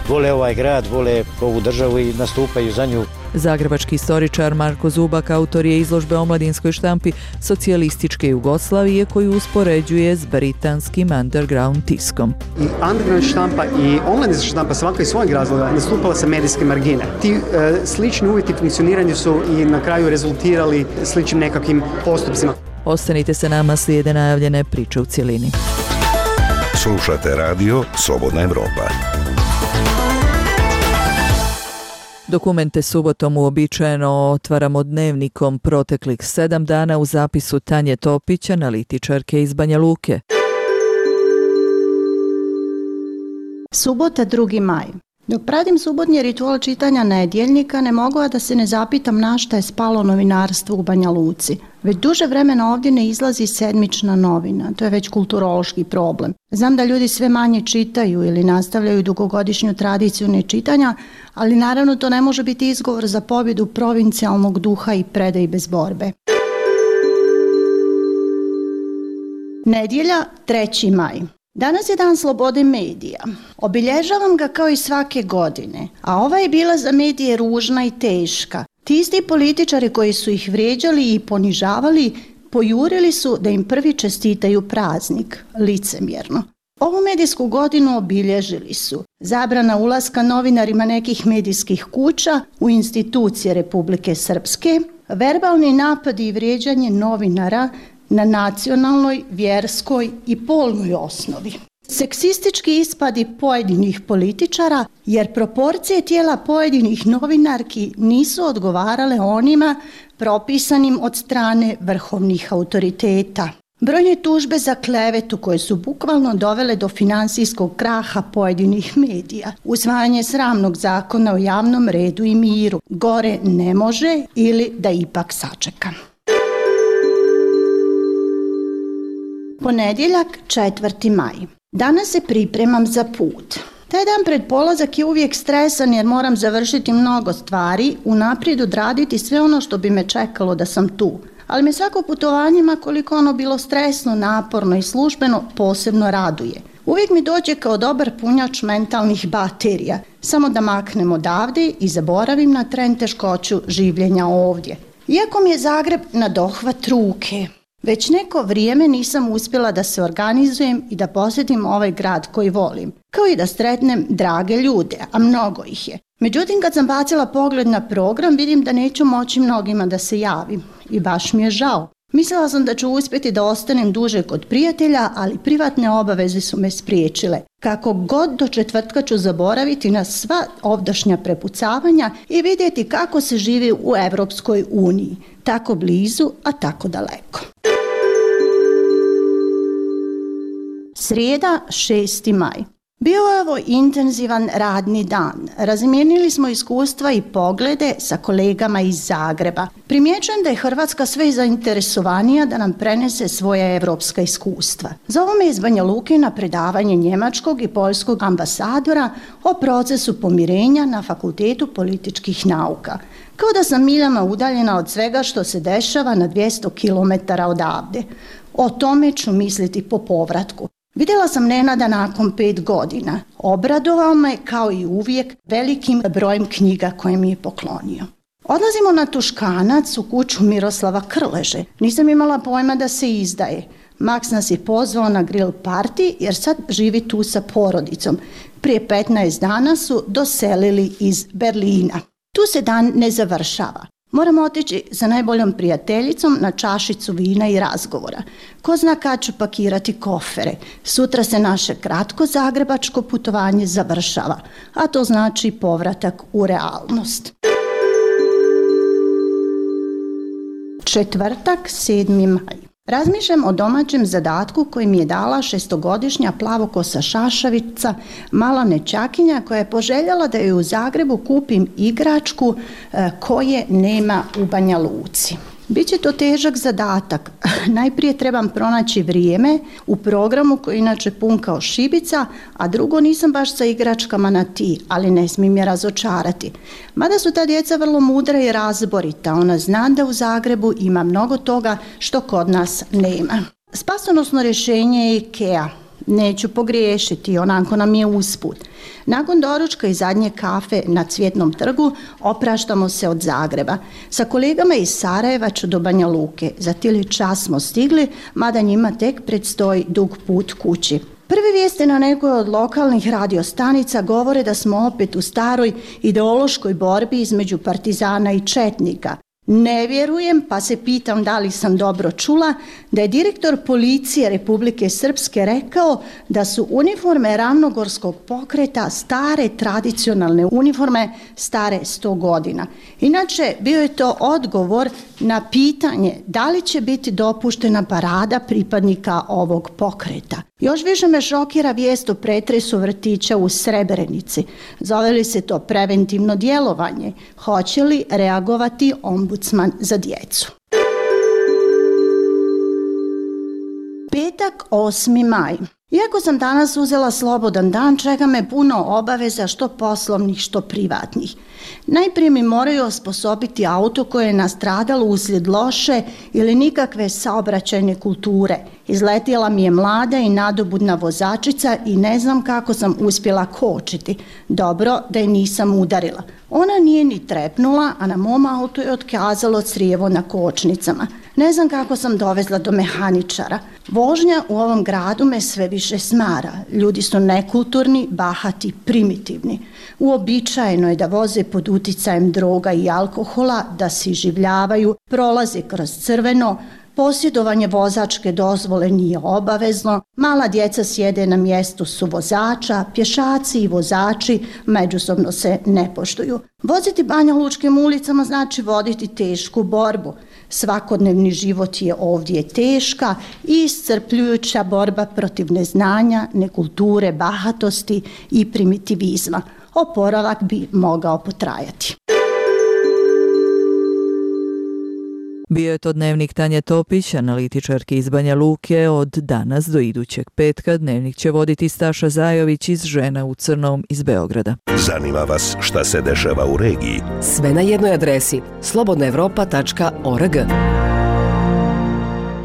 vole ovaj grad, vole ovu državu i nastupaju za nju. Zagrebački istoričar Marko Zubak autor je izložbe o mladinskoj štampi socijalističke Jugoslavije koju uspoređuje s britanskim underground tiskom. I underground štampa i online štampa svaka iz svojeg razloga nastupala sa medijske margine. Ti slični uvjeti funkcioniranja su i na kraju rezultirali sličnim nekakvim postupcima. Ostanite sa nama, slijede najavljene priče u cjelini. Slušate radio Slobodna Evropa. Dokumente subotom uobičajeno otvaramo Dnevnikom proteklih 7 dana u zapisu Tanje Topić, analitičarke iz Banja Luke. Subota 2. maj. Dok pratim subotnji ritual čitanja Nedjeljnika, ne mogu a da se ne zapitam na šta je spalo novinarstvo u Banja Luci. Već duže vremena ovdje ne izlazi sedmična novina, to je već kulturološki problem. Znam da ljudi sve manje čitaju ili nastavljaju dugogodišnju tradiciju nečitanja, ali naravno to ne može biti izgovor za pobjedu provincijalnog duha i predaj bez borbe. Nedjelja, 3. maj. Danas je dan slobode medija. Obilježavam ga kao i svake godine, a ova je bila za medije ružna i teška. Ti isti političari koji su ih vrijeđali i ponižavali, pojurili su da im prvi čestitaju praznik, licemjerno. Ovu medijsku godinu obilježili su zabrana ulaska novinarima nekih medijskih kuća u institucije Republike Srpske, verbalni napadi i vrijeđanje novinara na nacionalnoj, vjerskoj i polnoj osnovi. Seksistički ispadi pojedinih političara, jer proporcije tijela pojedinih novinarki nisu odgovarale onima propisanim od strane vrhovnih autoriteta. Brojne tužbe za klevetu koje su bukvalno dovele do finansijskog kraha pojedinih medija. Usvajanje sramnog zakona o javnom redu i miru. Gore ne može ili da ipak sačeka. Ponedjeljak, 4. maj. Danas se pripremam za put. Taj dan pred polazak je uvijek stresan jer moram završiti mnogo stvari, unaprijed odraditi sve ono što bi me čekalo da sam tu. Ali me svako putovanje, ma koliko ono bilo stresno, naporno i službeno, posebno raduje. Uvijek mi dođe kao dobar punjač mentalnih baterija, samo da maknem odavde i zaboravim na tren teškoću življenja ovdje. Iako mi je Zagreb na dohvat ruke. Već neko vrijeme nisam uspjela da se organizujem i da posjetim ovaj grad koji volim, kao i da sretnem drage ljude, a mnogo ih je. Međutim, kad sam bacila pogled na program, vidim da neću moći mnogima da se javim i baš mi je žao. Mislila sam da ću uspjeti da ostanem duže kod prijatelja, ali privatne obaveze su me spriječile. Kako god do četvrtka ću zaboraviti na sva ovdašnja prepucavanja i vidjeti kako se živi u Europskoj uniji. Tako blizu, a tako daleko. Srijeda, 6. maj. Bio je ovo intenzivan radni dan. Razmijenili smo iskustva i poglede sa kolegama iz Zagreba. Primjećujem da je Hrvatska sve zainteresovanija da nam prenese svoja evropska iskustva. Zovu me iz Banja Luke na predavanje njemačkog i poljskog ambasadora o procesu pomirenja na Fakultetu političkih nauka. Kao da sam miljama udaljena od svega što se dešava na 200 km odavde. O tome ću misliti po povratku. Vidjela sam Nenada nakon 5 godina. Obradovao me kao i uvijek velikim brojem knjiga koje mi je poklonio. Odlazimo na Tuškanac u kuću Miroslava Krleže. Nisam imala pojma da se izdaje. Maks nas je pozvao na grill party jer sad živi tu sa porodicom. Prije 15 dana su doselili iz Berlina. Tu se dan ne završava. Moramo otići sa najboljom prijateljicom na čašicu vina i razgovora. Ko zna kad ću pakirati kofere. Sutra se naše kratko zagrebačko putovanje završava, a to znači povratak u realnost. Četvrtak, 7. maj. Razmišljam o domaćem zadatku koji mi je dala 6-godišnja plavokosa šašavica, mala nećakinja koja je poželjela da joj u Zagrebu kupim igračku koje nema u Banja Luci. Biće to težak zadatak. Najprije trebam pronaći vrijeme u programu koji je inače pun kao šibica, a drugo nisam baš sa igračkama na ti, ali ne smijem je razočarati. Mada su ta djeca vrlo mudra i razborita, ona zna da u Zagrebu ima mnogo toga što kod nas nema. Spasonosno rješenje je IKEA. Neću pogriješiti, onako nam je usput. Nakon doručka i zadnje kafe na Cvjetnom trgu opraštamo se od Zagreba. Sa kolegama iz Sarajeva ću do Banja Luke. Za tili čas smo stigli, mada njima tek predstoji dug put kući. Prve vijesti na nekoj od lokalnih radiostanica govore da smo opet u staroj ideološkoj borbi između partizana i četnika. Ne vjerujem, pa se pitam da li sam dobro čula, da je direktor policije Republike Srpske rekao da su uniforme Ravnogorskog pokreta stare tradicionalne uniforme, stare 100 godina. Inače, bio je to odgovor na pitanje da li će biti dopuštena parada pripadnika ovog pokreta. Još više me šokira vijest o pretresu vrtića u Srebrenici. Zove li se to preventivno djelovanje? Hoće li reagovati ombudsman za djecu? Petak, 8. maj. Iako sam danas uzela slobodan dan, čeka me puno obaveza, što poslovnih, što privatnih. Najprije mi moraju osposobiti auto koje je nastradalo uslijed loše ili nikakve saobraćajne kulture. Izletjela mi je mlada i nadobudna vozačica i ne znam kako sam uspjela kočiti. Dobro da je nisam udarila. Ona nije ni trepnula, a na mom autu je otkazalo crijevo na kočnicama. Ne znam kako sam dovezla do mehaničara. Vožnja u ovom gradu me sve više smara. Ljudi su nekulturni, bahati, primitivni. Uobičajeno je da voze pod uticajem droga i alkohola, da se iživljavaju, prolaze kroz crveno, posjedovanje vozačke dozvole nije obavezno, mala djeca sjede na mjestu su vozača, pješaci i vozači međusobno se ne poštuju. Voziti banjalučkim ulicama znači voditi tešku borbu. Svakodnevni život je ovdje teška i iscrpljujuća borba protiv neznanja, nekulture, bahatosti i primitivizma. Oporavak bi mogao potrajati. Bio je to dnevnik Tanje Topić, analitičarki iz Banja Luke. Od danas do idućeg petka dnevnik će voditi Staša Zajović iz Žena u crnom iz Beograda. Zanima vas šta se dešava u regiji? Sve na jednoj adresi slobodnaevropa.org.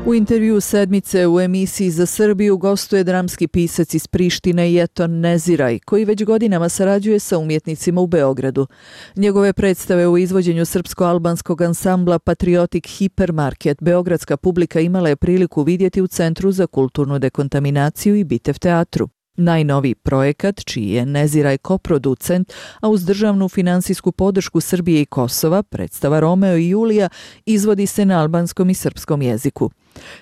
U intervju sedmice u emisiji Za Srbiju gostuje dramski pisac iz Prištine Jeton Neziraj, koji već godinama sarađuje sa umjetnicima u Beogradu. Njegove predstave u izvođenju srpsko-albanskog ansambla Patriotic Hipermarket beogradska publika imala je priliku vidjeti u Centru za kulturnu dekontaminaciju i Bitev teatru. Najnoviji projekat, čiji je Neziraj koproducent, a uz državnu finansijsku podršku Srbije i Kosova, predstava Romeo i Julija, izvodi se na albanskom i srpskom jeziku.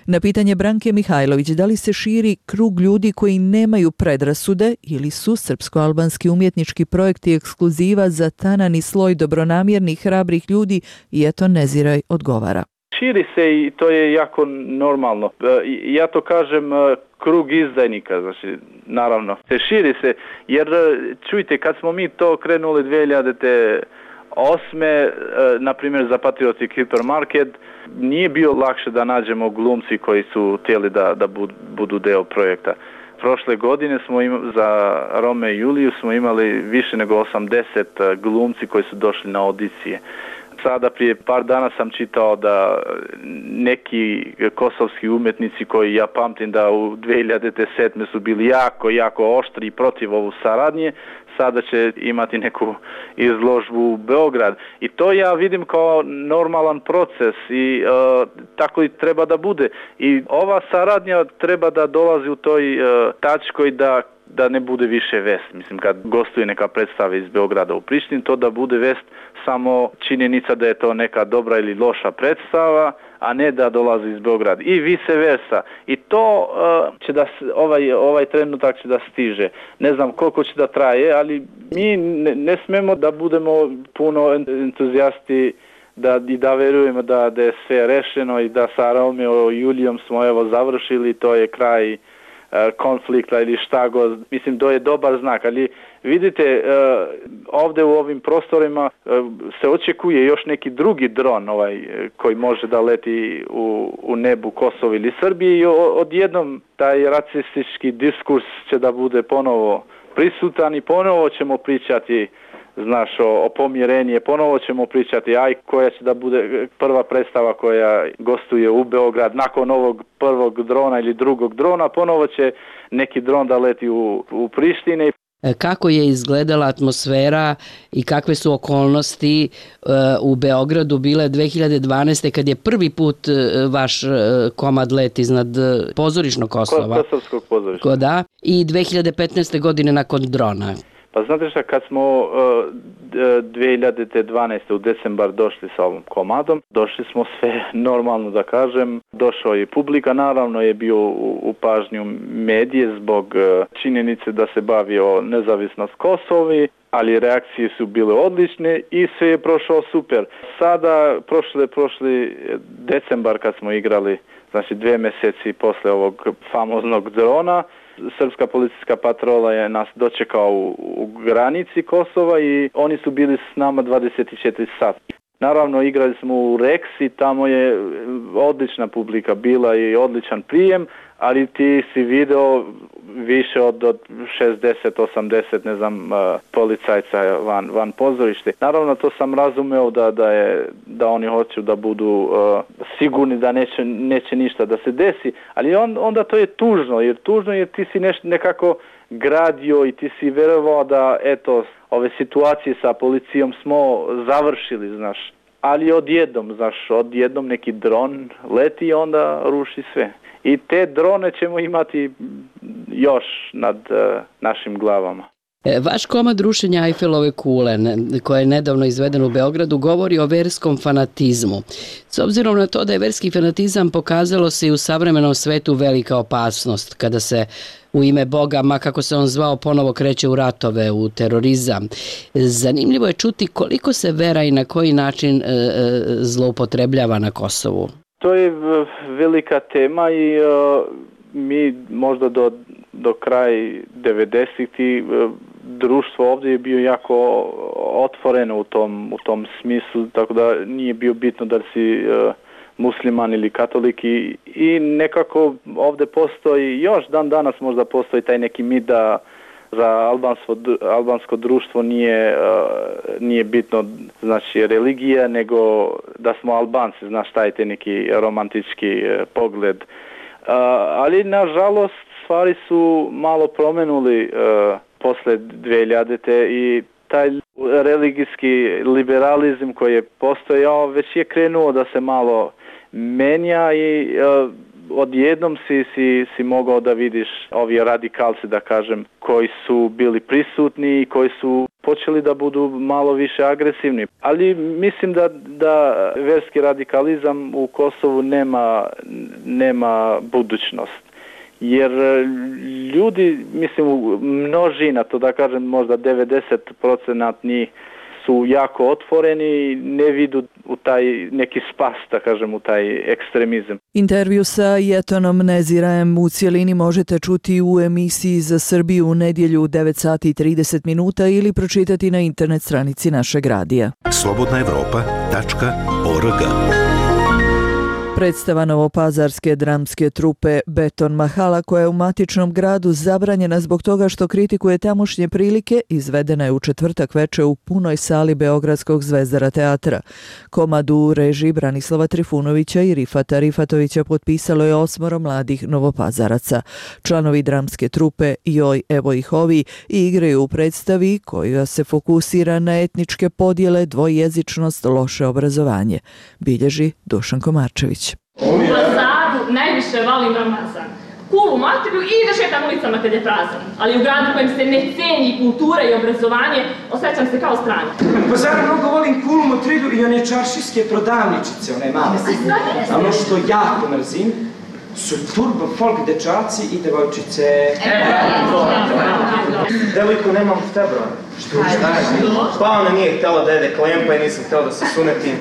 Na pitanje Branke Mihajlović da li se širi krug ljudi koji nemaju predrasude ili su srpsko-albanski umjetnički projekti ekskluziva za tanani sloj dobronamjernih, hrabrih ljudi, Jeton Neziraj odgovara. Širi se i to je jako normalno. Ja to kažem krug izdajnika, znači naravno. Širi se jer čujte, kad smo mi to krenuli 2008. Na primjer za Patriotic Hipermarket, nije bio lakše da nađemo glumci koji su htjeli da budu deo projekta. Prošle godine smo za Romeo i Juliju smo imali više nego 80 glumci koji su došli na audicije. Sada prije par dana sam čitao da neki kosovski umjetnici koji ja pamtim da u 2007. su bili jako oštri protiv ovu saradnje, sada će imati neku izložbu u Beograd. I to ja vidim kao normalan proces i tako i treba da bude. I ova saradnja treba da dolazi u toj tačkoj da ne bude više vest. Mislim, kad gostuje neka predstava iz Beograda u Prištini, to da bude vest samo činjenica da je to neka dobra ili loša predstava, a ne da dolazi iz Beograda. I vice versa. I to će da ovaj trenutak će da stiže. Ne znam koliko će da traje, ali mi ne smemo da budemo puno entuzijasti da verujemo da je sve rešeno i da sa Romeo i Julijom smo završili, to je kraj konflikta ili šta god. Mislim, to je dobar znak, ali vidite, ovdje u ovim prostorima se očekuje još neki drugi dron koji može da leti u nebu Kosova ili Srbije i odjednom taj rasistički diskurs će da bude ponovo prisutan i ponovo ćemo pričati o pomirenje, ponovo ćemo pričati koja će da bude prva predstava koja gostuje u Beograd nakon ovog prvog drona ili drugog drona, ponovo će neki dron da leti u Prištini. Kako je izgledala atmosfera i kakve su okolnosti u Beogradu bile 2012. kad je prvi put vaš komad let iznad pozorišnog Kosova? Kosovskog pozorišta. Da, i 2015. godine nakon drona. Pa znate šta, kad smo 2012. u decembar došli sa ovom komadom, došli smo sve normalno da kažem, došao je publika, naravno je bio u pažnju medije zbog činjenice da se bavio nezavisnost Kosovi, ali reakcije su bile odlične i sve je prošao super. Sada, prošli decembar kad smo igrali, znači 2 mjeseci posle ovog famoznog drona, srpska policijska patrola je nas dočekao u granici Kosova i oni su bili s nama 24 sata. Naravno, igrali smo u Rex i tamo je odlična publika bila i odličan prijem, ali ti si video više od 60-80, ne znam, policajca van pozorište. Naravno, to sam razumeo da oni hoću da budu sigurni da neće ništa da se desi, ali onda to je tužno jer ti si nekako gradio i ti si verovao da ove situacije sa policijom smo završili, znaš. Ali odjednom neki dron leti i onda ruši sve. I te drone ćemo imati još nad našim glavama. Vaš komad rušenja Eifelove kule, koja je nedavno izveden u Beogradu, govori o verskom fanatizmu. S obzirom na to da je verski fanatizam pokazalo se i u savremenom svetu velika opasnost, kada se u ime Boga, ma kako se on zvao, ponovo kreće u ratove, u terorizam. Zanimljivo je čuti koliko se vera i na koji način zloupotrebljava na Kosovu. To je velika tema i mi možda do kraja 90-ih društvo ovdje je bio jako otvoreno u tom smislu, tako da nije bio bitno da si musliman ili katolik i nekako ovdje postoji, još dan danas možda postoji taj neki mit da za albansko društvo nije bitno, znači, religija, nego da smo Albanci, znaš, taj neki romantički pogled. Ali nažalost stvari su malo promenuli posle 2000. i taj religijski liberalizam koji je postojao već je krenuo da se malo menja i odjednom si mogao da vidiš ovi radikalci, da kažem, koji su bili prisutni i koji su počeli da budu malo više agresivni. Ali mislim da verski radikalizam u Kosovu nema budućnost. Jer ljudi, mislim, množina, to da kažem možda 90% njih su jako otvoreni i ne vidu u taj neki spas, da kažem, u taj ekstremizam. Intervju sa Jetonom Nezirajem u cijelini možete čuti u emisiji Za Srbiju u nedjelju u 9:30 ili pročitati na internet stranici našeg radija. slobodnaevropa.org Predstava novopazarske dramske trupe Beton Mahala, koja je u matičnom gradu zabranjena zbog toga što kritikuje tamošnje prilike, izvedena je u četvrtak veče u punoj sali Beogradskog Zvezdara teatra. Komadu u režiji Branislava Trifunovića i Rifata Rifatovića potpisalo je 8 mladih novopazaraca. Članovi dramske trupe Joj, evo ih ovi igraju u predstavi koja se fokusira na etničke podjele, dvojezičnost, loše obrazovanje. Bilježi Dušan Komarčević. U Pazaru najviše volim Ramazan. Kulu materiju i da šetam ulicama kad je prazan. Ali u gradu kojem se ne ceni kultura i obrazovanje, osjećam se kao strana. U Pazaru mnogo volim Kulu Motridu i one čaršijske prodavničice, one male. A ono što jako mrzim su turbo folk dečaci i devojčice. Devojku nemam u februaru. Šta je? Pa ona nije htjela da jede klempa i nisam htjela da se sunetim.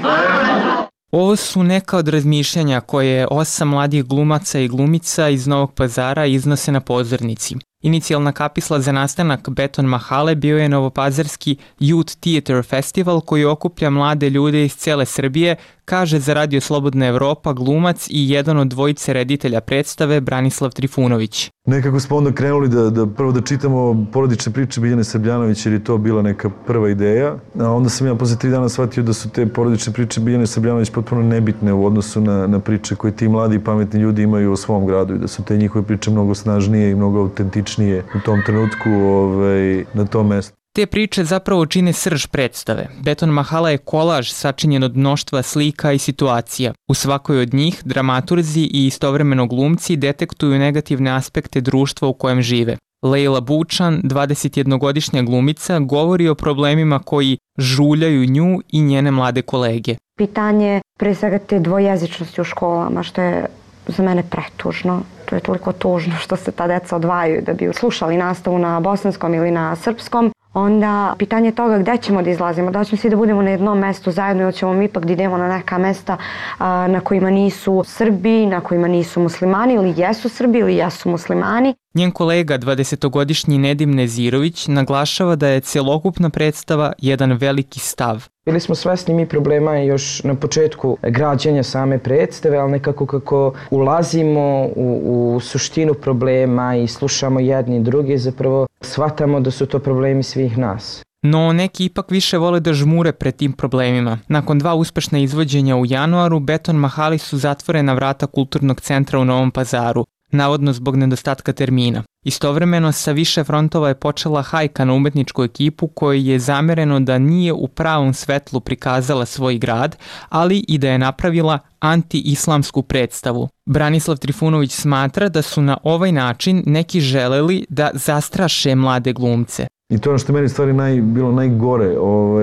Ovo su neka od razmišljanja koje 8 mladih glumaca i glumica iz Novog Pazara iznose na pozornici. Inicijalna kapisla za nastanak Beton Mahale bio je novopazarski Youth Theater Festival koji okuplja mlade ljude iz cele Srbije, kaže za Radio Slobodna Evropa glumac i jedan od dvojice reditelja predstave Branislav Trifunović. Nekako smo onda krenuli prvo da čitamo porodične priče Biljane Srbljanović jer je to bila neka prva ideja. A onda sam ja posle 3 dana shvatio da su te porodične priče Biljane Srbljanović potpuno nebitne u odnosu na priče koje ti mladi i pametni ljudi imaju o svom gradu i da su te njihove priče mnogo snažnije i mnogo autentičnije u tom trenutku na tom mestu. Te priče zapravo čine srž predstave. Beton Mahala je kolaž sačinjen od mnoštva slika i situacija. U svakoj od njih dramaturzi i istovremeno glumci detektuju negativne aspekte društva u kojem žive. Lejla Bučan, 21-godišnja glumica, govori o problemima koji žuljaju nju i njene mlade kolege. Pitanje pre svega te dvojezičnosti u školama, što je za mene pretužno. To je toliko tužno što se ta deca odvajaju da bi slušali nastavu na bosanskom ili na srpskom. Onda pitanje toga gde ćemo da izlazimo, da ćemo svi da budemo na jednom mestu zajedno ili ćemo mi ipak da idemo na neka mesta na kojima nisu Srbi, na kojima nisu muslimani ili jesu Srbi ili jesu muslimani. Njen kolega, 20-godišnji Nedim Nezirović, naglašava da je celokupna predstava jedan veliki stav. Bili smo svesni mi problema još na početku građenja same predstave, ali nekako kako ulazimo u suštinu problema i slušamo jedni i drugi, zapravo shvatamo da su to problemi svih nas. No neki ipak više vole da žmure pred tim problemima. Nakon 2 uspešna izvođenja u januaru, Beton Mahali su zatvorena vrata Kulturnog centra u Novom Pazaru, navodno zbog nedostatka termina. Istovremeno sa više frontova je počela hajka na umetničku ekipu kojoj je zamereno da nije u pravom svetlu prikazala svoj grad, ali i da je napravila anti-islamsku predstavu. Branislav Trifunović smatra da su na ovaj način neki želeli da zastraše mlade glumce. I to je ono što meni stvari bilo najgore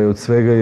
od svega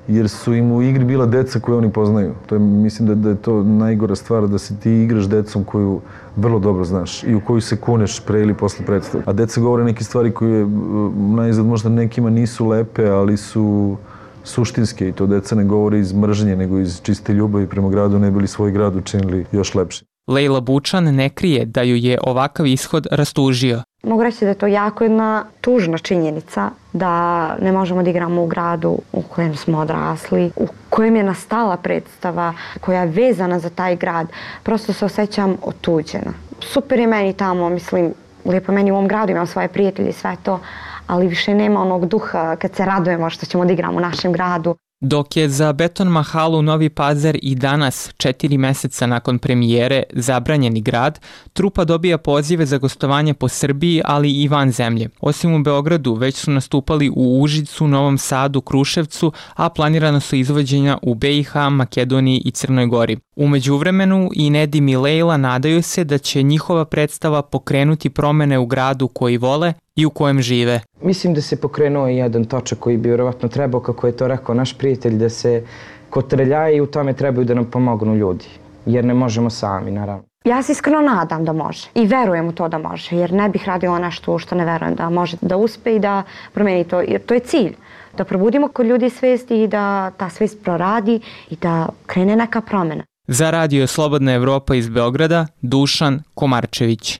jer su im u igri bila deca koje oni poznaju. Mislim da je to najgora stvar, da se ti igraš decom koju vrlo dobro znaš i u koju se kuneš pre ili posle predstave. A deca govore neke stvari koje najizgled možda nekima nisu lepe, ali su suštinske i to deca ne govore iz mržnje nego iz čiste ljubavi prema gradu, ne bili svoj grad učinili još lepše. Lejla Bučan ne krije da ju je ovakav ishod rastužio. Mogu reći da je to jako jedna tužna činjenica da ne možemo da igramo u gradu u kojem smo odrasli, u kojem je nastala predstava koja je vezana za taj grad. Prosto se osjećam otuđena. Super je meni tamo, mislim, lijepo meni u ovom gradu, imam svoje prijatelje i sve to, ali više nema onog duha kad se radujemo što ćemo da igramo u našem gradu. Dok je za Beton Mahalu Novi Pazar i danas, 4 meseca nakon premijere, zabranjeni grad, trupa dobija pozive za gostovanje po Srbiji, ali i van zemlje. Osim u Beogradu, već su nastupali u Užicu, Novom Sadu, Kruševcu, a planirano su izvođenja u BiH, Makedoniji i Crnoj Gori. U međuvremenu i Nedim i Lejla nadaju se da će njihova predstava pokrenuti promene u gradu koji vole i u kojem žive. Mislim da se pokrenuo jedan točak koji bi vjerovatno trebao, kako je to rekao naš prijatelj, da se kotrlja i u tome trebaju da nam pomognu ljudi, jer ne možemo sami, naravno. Ja se iskreno nadam da može i verujem u to da može, jer ne bih radila nešto što ne verujem da može da uspe i da promeni to, jer to je cilj. Da probudimo kod ljudi svesti i da ta svest proradi i da krene neka promjena. Za Radio Slobodna Evropa iz Beograda, Dušan Komarčević.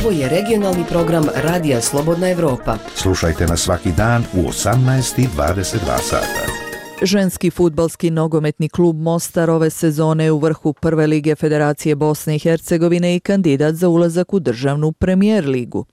Ovo je regionalni program Radija Slobodna Evropa. Slušajte nas svaki dan u 18:22 sata. Ženski fudbalski nogometni klub Mostar ove sezone je u vrhu Prve lige Federacije Bosne i Hercegovine i kandidat za ulazak u državnu premijer ligu.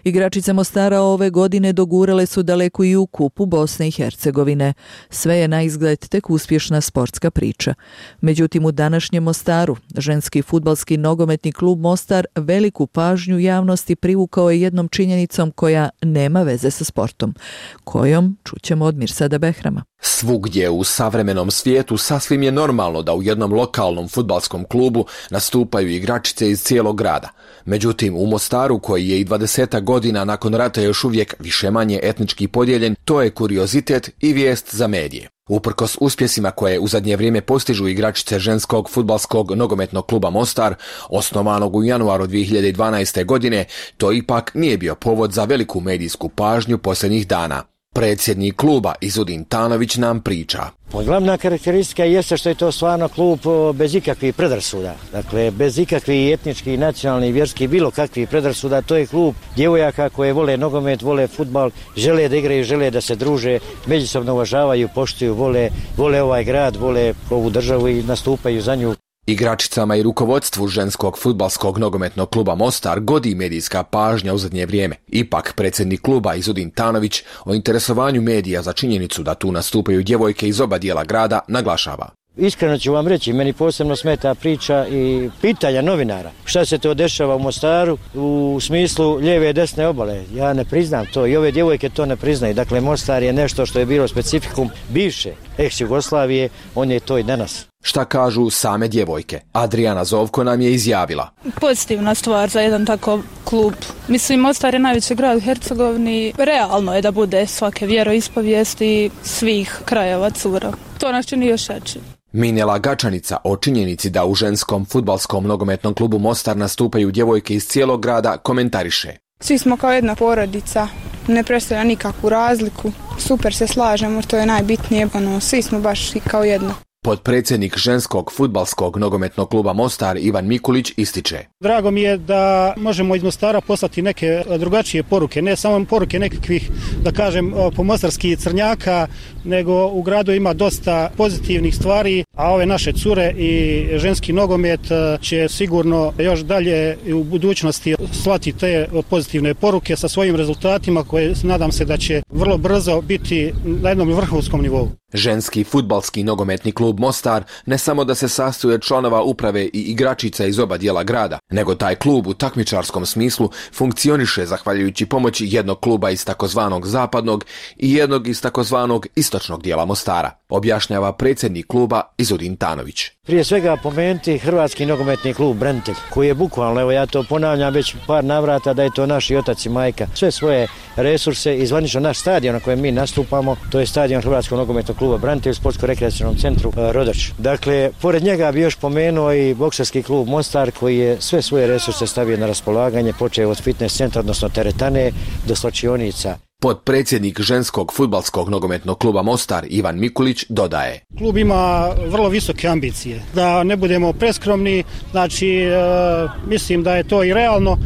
Igračice Mostara ove godine dogurale su daleko i u kupu Bosne i Hercegovine. Sve je na izgled tek uspješna sportska priča. Međutim, u današnjem Mostaru ženski fudbalski nogometni klub Mostar veliku pažnju javnosti privukao je jednom činjenicom koja nema veze sa sportom. Kojom čućemo od Mirsada Behrama. Svugdje u savremenom svijetu sasvim je normalno da u jednom lokalnom fudbalskom klubu nastupaju igračice iz cijelog grada. Međutim, u Mostaru, koji je i 20 godina nakon rata još uvijek više-manje etnički podijeljen, to je kuriozitet i vijest za medije. Uprkos uspjesima koje u zadnje vrijeme postižu igračice ženskog fudbalskog nogometnog kluba Mostar, osnovanog u januaru 2012. godine, to ipak nije bio povod za veliku medijsku pažnju posljednjih dana. Predsjednik kluba Izudin Tanović nam priča. Glavna karakteristika jeste što je to stvarno klub bez ikakvih predrasuda. Dakle, bez ikakvih etničkih, nacionalnih, vjerskih, bilo kakvih predrasuda. To je klub djevojaka koje vole nogomet, vole fudbal, žele da igraju, žele da se druže, međusobno uvažavaju, poštuju, vole ovaj grad, vole ovu državu i nastupaju za nju. Igračicama i rukovodstvu ženskog fudbalskog nogometnog kluba Mostar godi medijska pažnja u zadnje vrijeme. Ipak, predsjednik kluba Izudin Tanović o interesovanju medija za činjenicu da tu nastupaju djevojke iz oba dijela grada naglašava. Iskreno ću vam reći, meni posebno smeta priča i pitanja novinara. Šta se to dešava u Mostaru u smislu lijeve i desne obale? Ja ne priznam to i ove djevojke to ne priznaju. Dakle, Mostar je nešto što je bilo specifikum bivše ex-Jugoslavije, on je to i danas. Šta kažu same djevojke? Adriana Zovko nam je izjavila. Pozitivna stvar za jedan takav klub. Mislim, Mostar je najveći grad u Hercegovini. Realno je da bude svake vjeroispovijesti svih krajeva cura. To nas čini još jači. Minjela Gačanica o činjenici da u ženskom fudbalskom nogometnom klubu Mostar nastupaju djevojke iz cijelog grada komentariše. Svi smo kao jedna porodica, ne predstavlja nikakvu razliku, super se slažemo, to je najbitnije, svi smo baš kao jedno. Potpredsjednik ženskog fudbalskog nogometnog kluba Mostar Ivan Mikulić ističe. Drago mi je da možemo iz Mostara poslati neke drugačije poruke, ne samo poruke nekakvih, da kažem, pomostarskih crnjaka, nego u gradu ima dosta pozitivnih stvari, a ove naše cure i ženski nogomet će sigurno još dalje u budućnosti slati te pozitivne poruke sa svojim rezultatima koje nadam se da će vrlo brzo biti na jednom vrhunskom nivou. Ženski fudbalski nogometni klub Mostar ne samo da se sastoji od članova uprave i igračica iz oba dijela grada, nego taj klub u takmičarskom smislu funkcioniše zahvaljujući pomoći jednog kluba iz takozvanog zapadnog i jednog iz takozvanog istočnog dijela Mostara, objašnjava predsjednik kluba Izudin Tanović. Prije svega pomenuti Hrvatski nogometni klub Branitelj, koji je bukvalno, evo ja to ponavljam već par navrata, da je to naš i otac i majka. Sve svoje resurse i zvanično naš stadion na kojem mi nastupamo, to je stadion Hrvatskog nogometnog kluba Branitelj u sportsko-rekreacionom centru Rodač. Dakle, pored njega bi još pomenuo i bokserski klub Mostar, koji je sve svoje resurse stavio na raspolaganje, počeo od fitness centra, odnosno teretane, do slačionica. Potpredsjednik ženskog fudbalskog nogometnog kluba Mostar Ivan Mikulić dodaje. Klub ima vrlo visoke ambicije. Da ne budemo preskromni, znači mislim da je to i realno,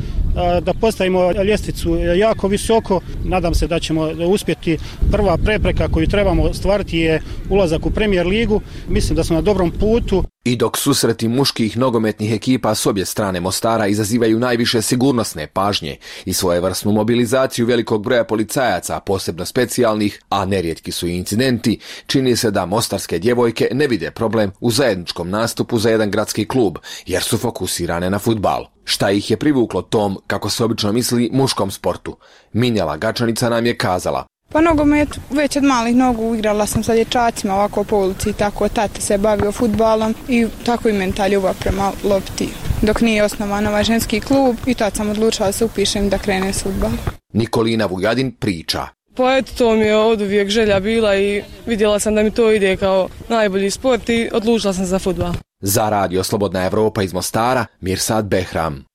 da postavimo ljestvicu jako visoko. Nadam se da ćemo uspjeti. Prva prepreka koju trebamo ostvariti je ulazak u Premier ligu. Mislim da smo na dobrom putu. I dok susreti muških nogometnih ekipa s obje strane Mostara izazivaju najviše sigurnosne pažnje i svojevrsnu mobilizaciju velikog broja policajaca, posebno specijalnih, a nerijetki su i incidenti, čini se da mostarske djevojke ne vide problem u zajedničkom nastupu za jedan gradski klub, jer su fokusirane na fudbal. Šta ih je privuklo tom, kako se obično misli, muškom sportu? Minjela Gačanica nam je kazala. Pa nogomet već od malih nogu igrala sam sa dječacima ovako po ulici, tako tata se bavio fudbalom i tako i meni ta ljubav prema lopti. Dok nije osnovan ovaj ženski klub i tad sam odlučila da se upišem da krenem s fudbalom. Nikolina Vujadin priča. Pa eto, to mi je od uvijek želja bila i vidjela sam da mi to ide kao najbolji sport i odlučila sam za fudbal. Za Radio Slobodna Evropa iz Mostara, Mirsad Behram.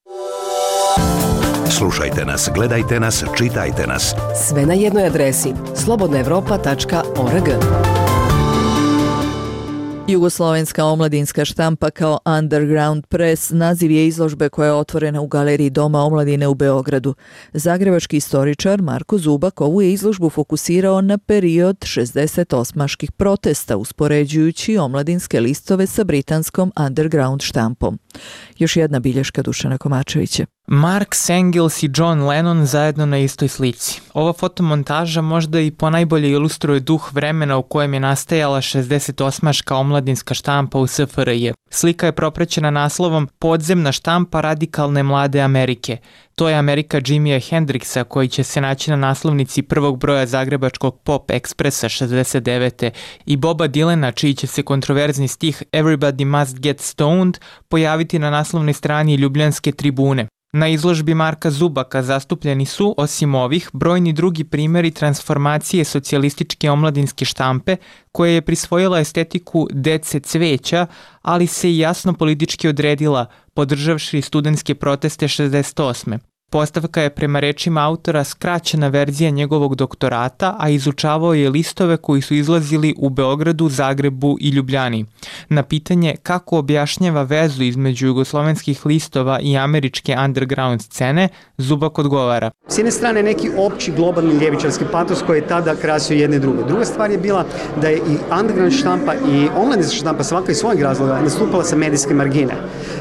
Slušajte nas, gledajte nas, čitajte nas. Sve na jednoj adresi slobodnaevropa.org. Jugoslovenska omladinska štampa kao Underground Press naziv je izložbe koja je otvorena u Galeriji Doma omladine u Beogradu. Zagrebački istoričar Marko Zubak ovu je izložbu fokusirao na period 68-ških protesta, uspoređujući omladinske listove sa britanskom Underground štampom. Još jedna bilješka Dušana Komačevića. Mark Engels i John Lennon zajedno na istoj slici. Ova fotomontaža možda i ponajbolje ilustruje duh vremena u kojem je nastajala 68-ška omladinska štampa u SFRJ. Slika je propraćena naslovom Podzemna štampa radikalne mlade Amerike. To je Amerika Jimija Hendrixa koji će se naći na naslovnici prvog broja zagrebačkog Pop Expressa 69. i Boba Dylana čiji će se kontroverzni stih Everybody Must Get Stoned pojaviti na naslovnoj strani Ljubljanske tribune. Na izložbi Marka Zubaka zastupljeni su, osim ovih, brojni drugi primjeri transformacije socijalističke omladinske štampe koja je prisvojila estetiku dece cveća, ali se i jasno politički odredila, podržavši studentske proteste 68. Postavka je prema rečima autora skraćena verzija njegovog doktorata, a izučavao je listove koji su izlazili u Beogradu, Zagrebu i Ljubljani. Na pitanje kako objašnjava vezu između jugoslovenskih listova i američke underground scene, Zubak odgovara. S jedne strane neki opći globalni ljevičarski patos koji je tada krasio jedne i druge. Druga stvar je bila da je i underground štampa i omladinska štampa svaka iz svojeg razloga nastupala sa medijske margine.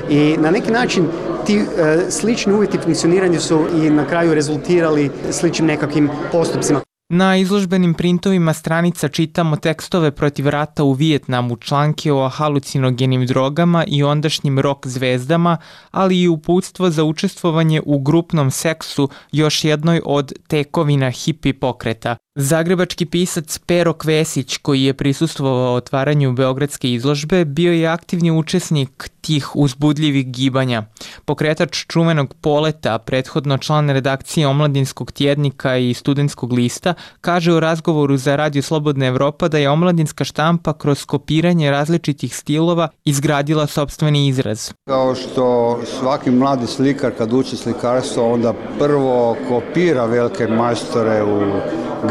I na neki način ti slični uvjeti funkcioniranja su i na kraju rezultirali sličnim nekakvim postupcima. Na izložbenim printovima stranica čitamo tekstove protiv rata u Vijetnamu, članke o halucinogenim drogama i ondašnjim rock zvezdama, ali i uputstvo za učestvovanje u grupnom seksu, još jednoj od tekovina hipi pokreta. Zagrebački pisac Pero Kvesić, koji je prisustvovao otvaranju beogradske izložbe, bio je aktivni učesnik tih uzbudljivih gibanja. Pokretač čuvenog Poleta, prethodno član redakcije Omladinskog tjednika i Studentskog lista, kaže u razgovoru za Radio Slobodna Evropa da je omladinska štampa kroz kopiranje različitih stilova izgradila sopstveni izraz. Kao što svaki mladi slikar kad uči slikarstvo onda prvo kopira velike majstore u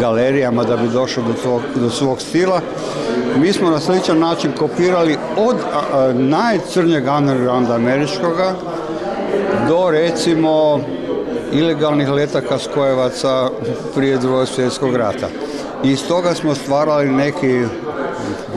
galerijama da bi došao do svog stila. Mi smo na sličan način kopirali od najcrnjeg undergrounda američkoga do recimo ilegalnih letaka skojevaca prije Drugog svjetskog rata. I iz toga smo stvarali neki,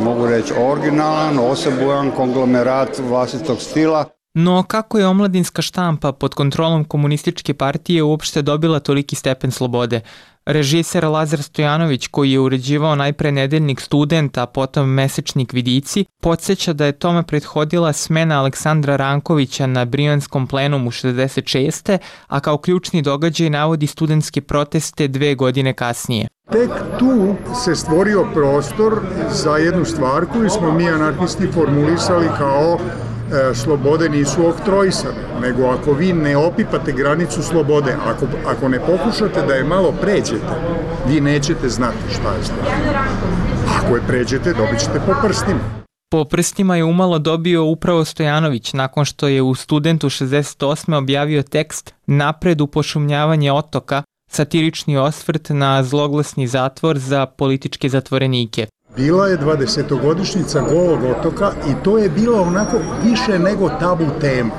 mogu reći, originalan, osebujan konglomerat vlastitog stila. No kako je omladinska štampa pod kontrolom komunističke partije uopšte dobila toliki stepen slobode? Režiser Lazar Stojanović, koji je uređivao najpre nedeljnik Student, a potom mesečnik Vidici, podsjeća da je tome prethodila smena Aleksandra Rankovića na Brijanskom plenumu 66. a kao ključni događaj navodi studentske proteste 2 godine kasnije. Tek tu se stvorio prostor za jednu stvar koju smo mi anarhisti formulisali kao slobode nisu oktroisane, nego ako vi ne opipate granicu slobode, ako ne pokušate da je malo pređete, vi nećete znati šta je sloboda. Ako je pređete, dobit ćete po prstima. Po prstima je umalo dobio upravo Stojanović nakon što je u Studentu 68. objavio tekst Napred u pošumljavanje otoka, satirični osvrt na zloglasni zatvor za političke zatvorenike. Bila je 20-godišnjica Golog otoka i to je bilo onako više nego tabu tema.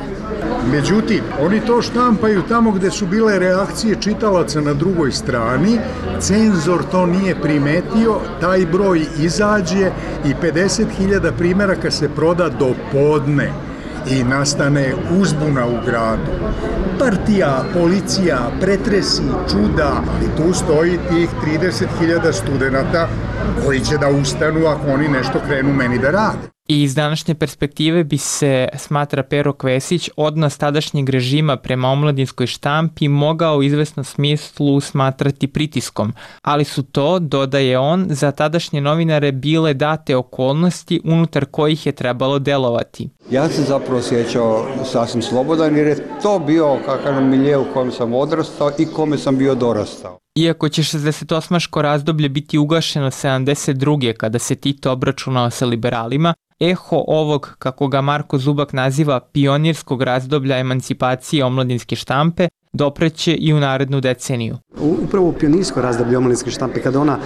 Međutim, oni to štampaju tamo gde su bile reakcije čitalaca na drugoj strani, cenzor to nije primetio, taj broj izađe i 50.000 primjeraka se proda do podne i nastane uzbuna u gradu. Partija, policija, pretresi, čuda, ali tu stoji tih 30.000 studenata koji će da ustanu ako oni nešto krenu meni da rade. I iz današnje perspektive bi se, smatra Pero Kvesić, odnos tadašnjeg režima prema omladinskoj štampi mogao u izvesnom smislu smatrati pritiskom, ali su to, dodaje on, za tadašnje novinare bile date okolnosti unutar kojih je trebalo delovati. Ja sam zapravo osjećao sasvim slobodan jer je to bio kakav milje u kojem sam odrastao i kome sam bio dorastao. Iako će 68. razdoblje biti ugašeno 72. kada se Tito obračunao sa liberalima, eho ovog, kako ga Marko Zubak naziva, pionirskog razdoblja emancipacije omladinske štampe dopreće i u narednu deceniju. Upravo u pionirsko razdoblje omladinske štampe, kada ona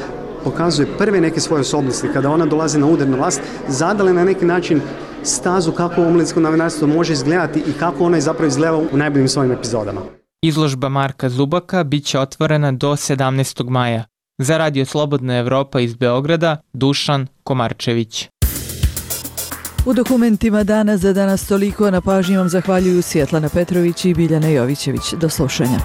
pokazuje prve neke svoje osobnosti, kada ona dolazi na udarnu vlast, zadale na neki način stazu kako omladinsko novinarstvo može izgledati i kako ona je zapravo izgledala u najboljim svojim epizodama. Izložba Marka Zubaka bit će otvorena do 17. maja. Za Radio Slobodna Evropa iz Beograda, Dušan Komarčević. U dokumentima dana za danas toliko. Na pažnji vam zahvaljuju Svjetlana Petrović i Biljana Jovićević. Do slušanja.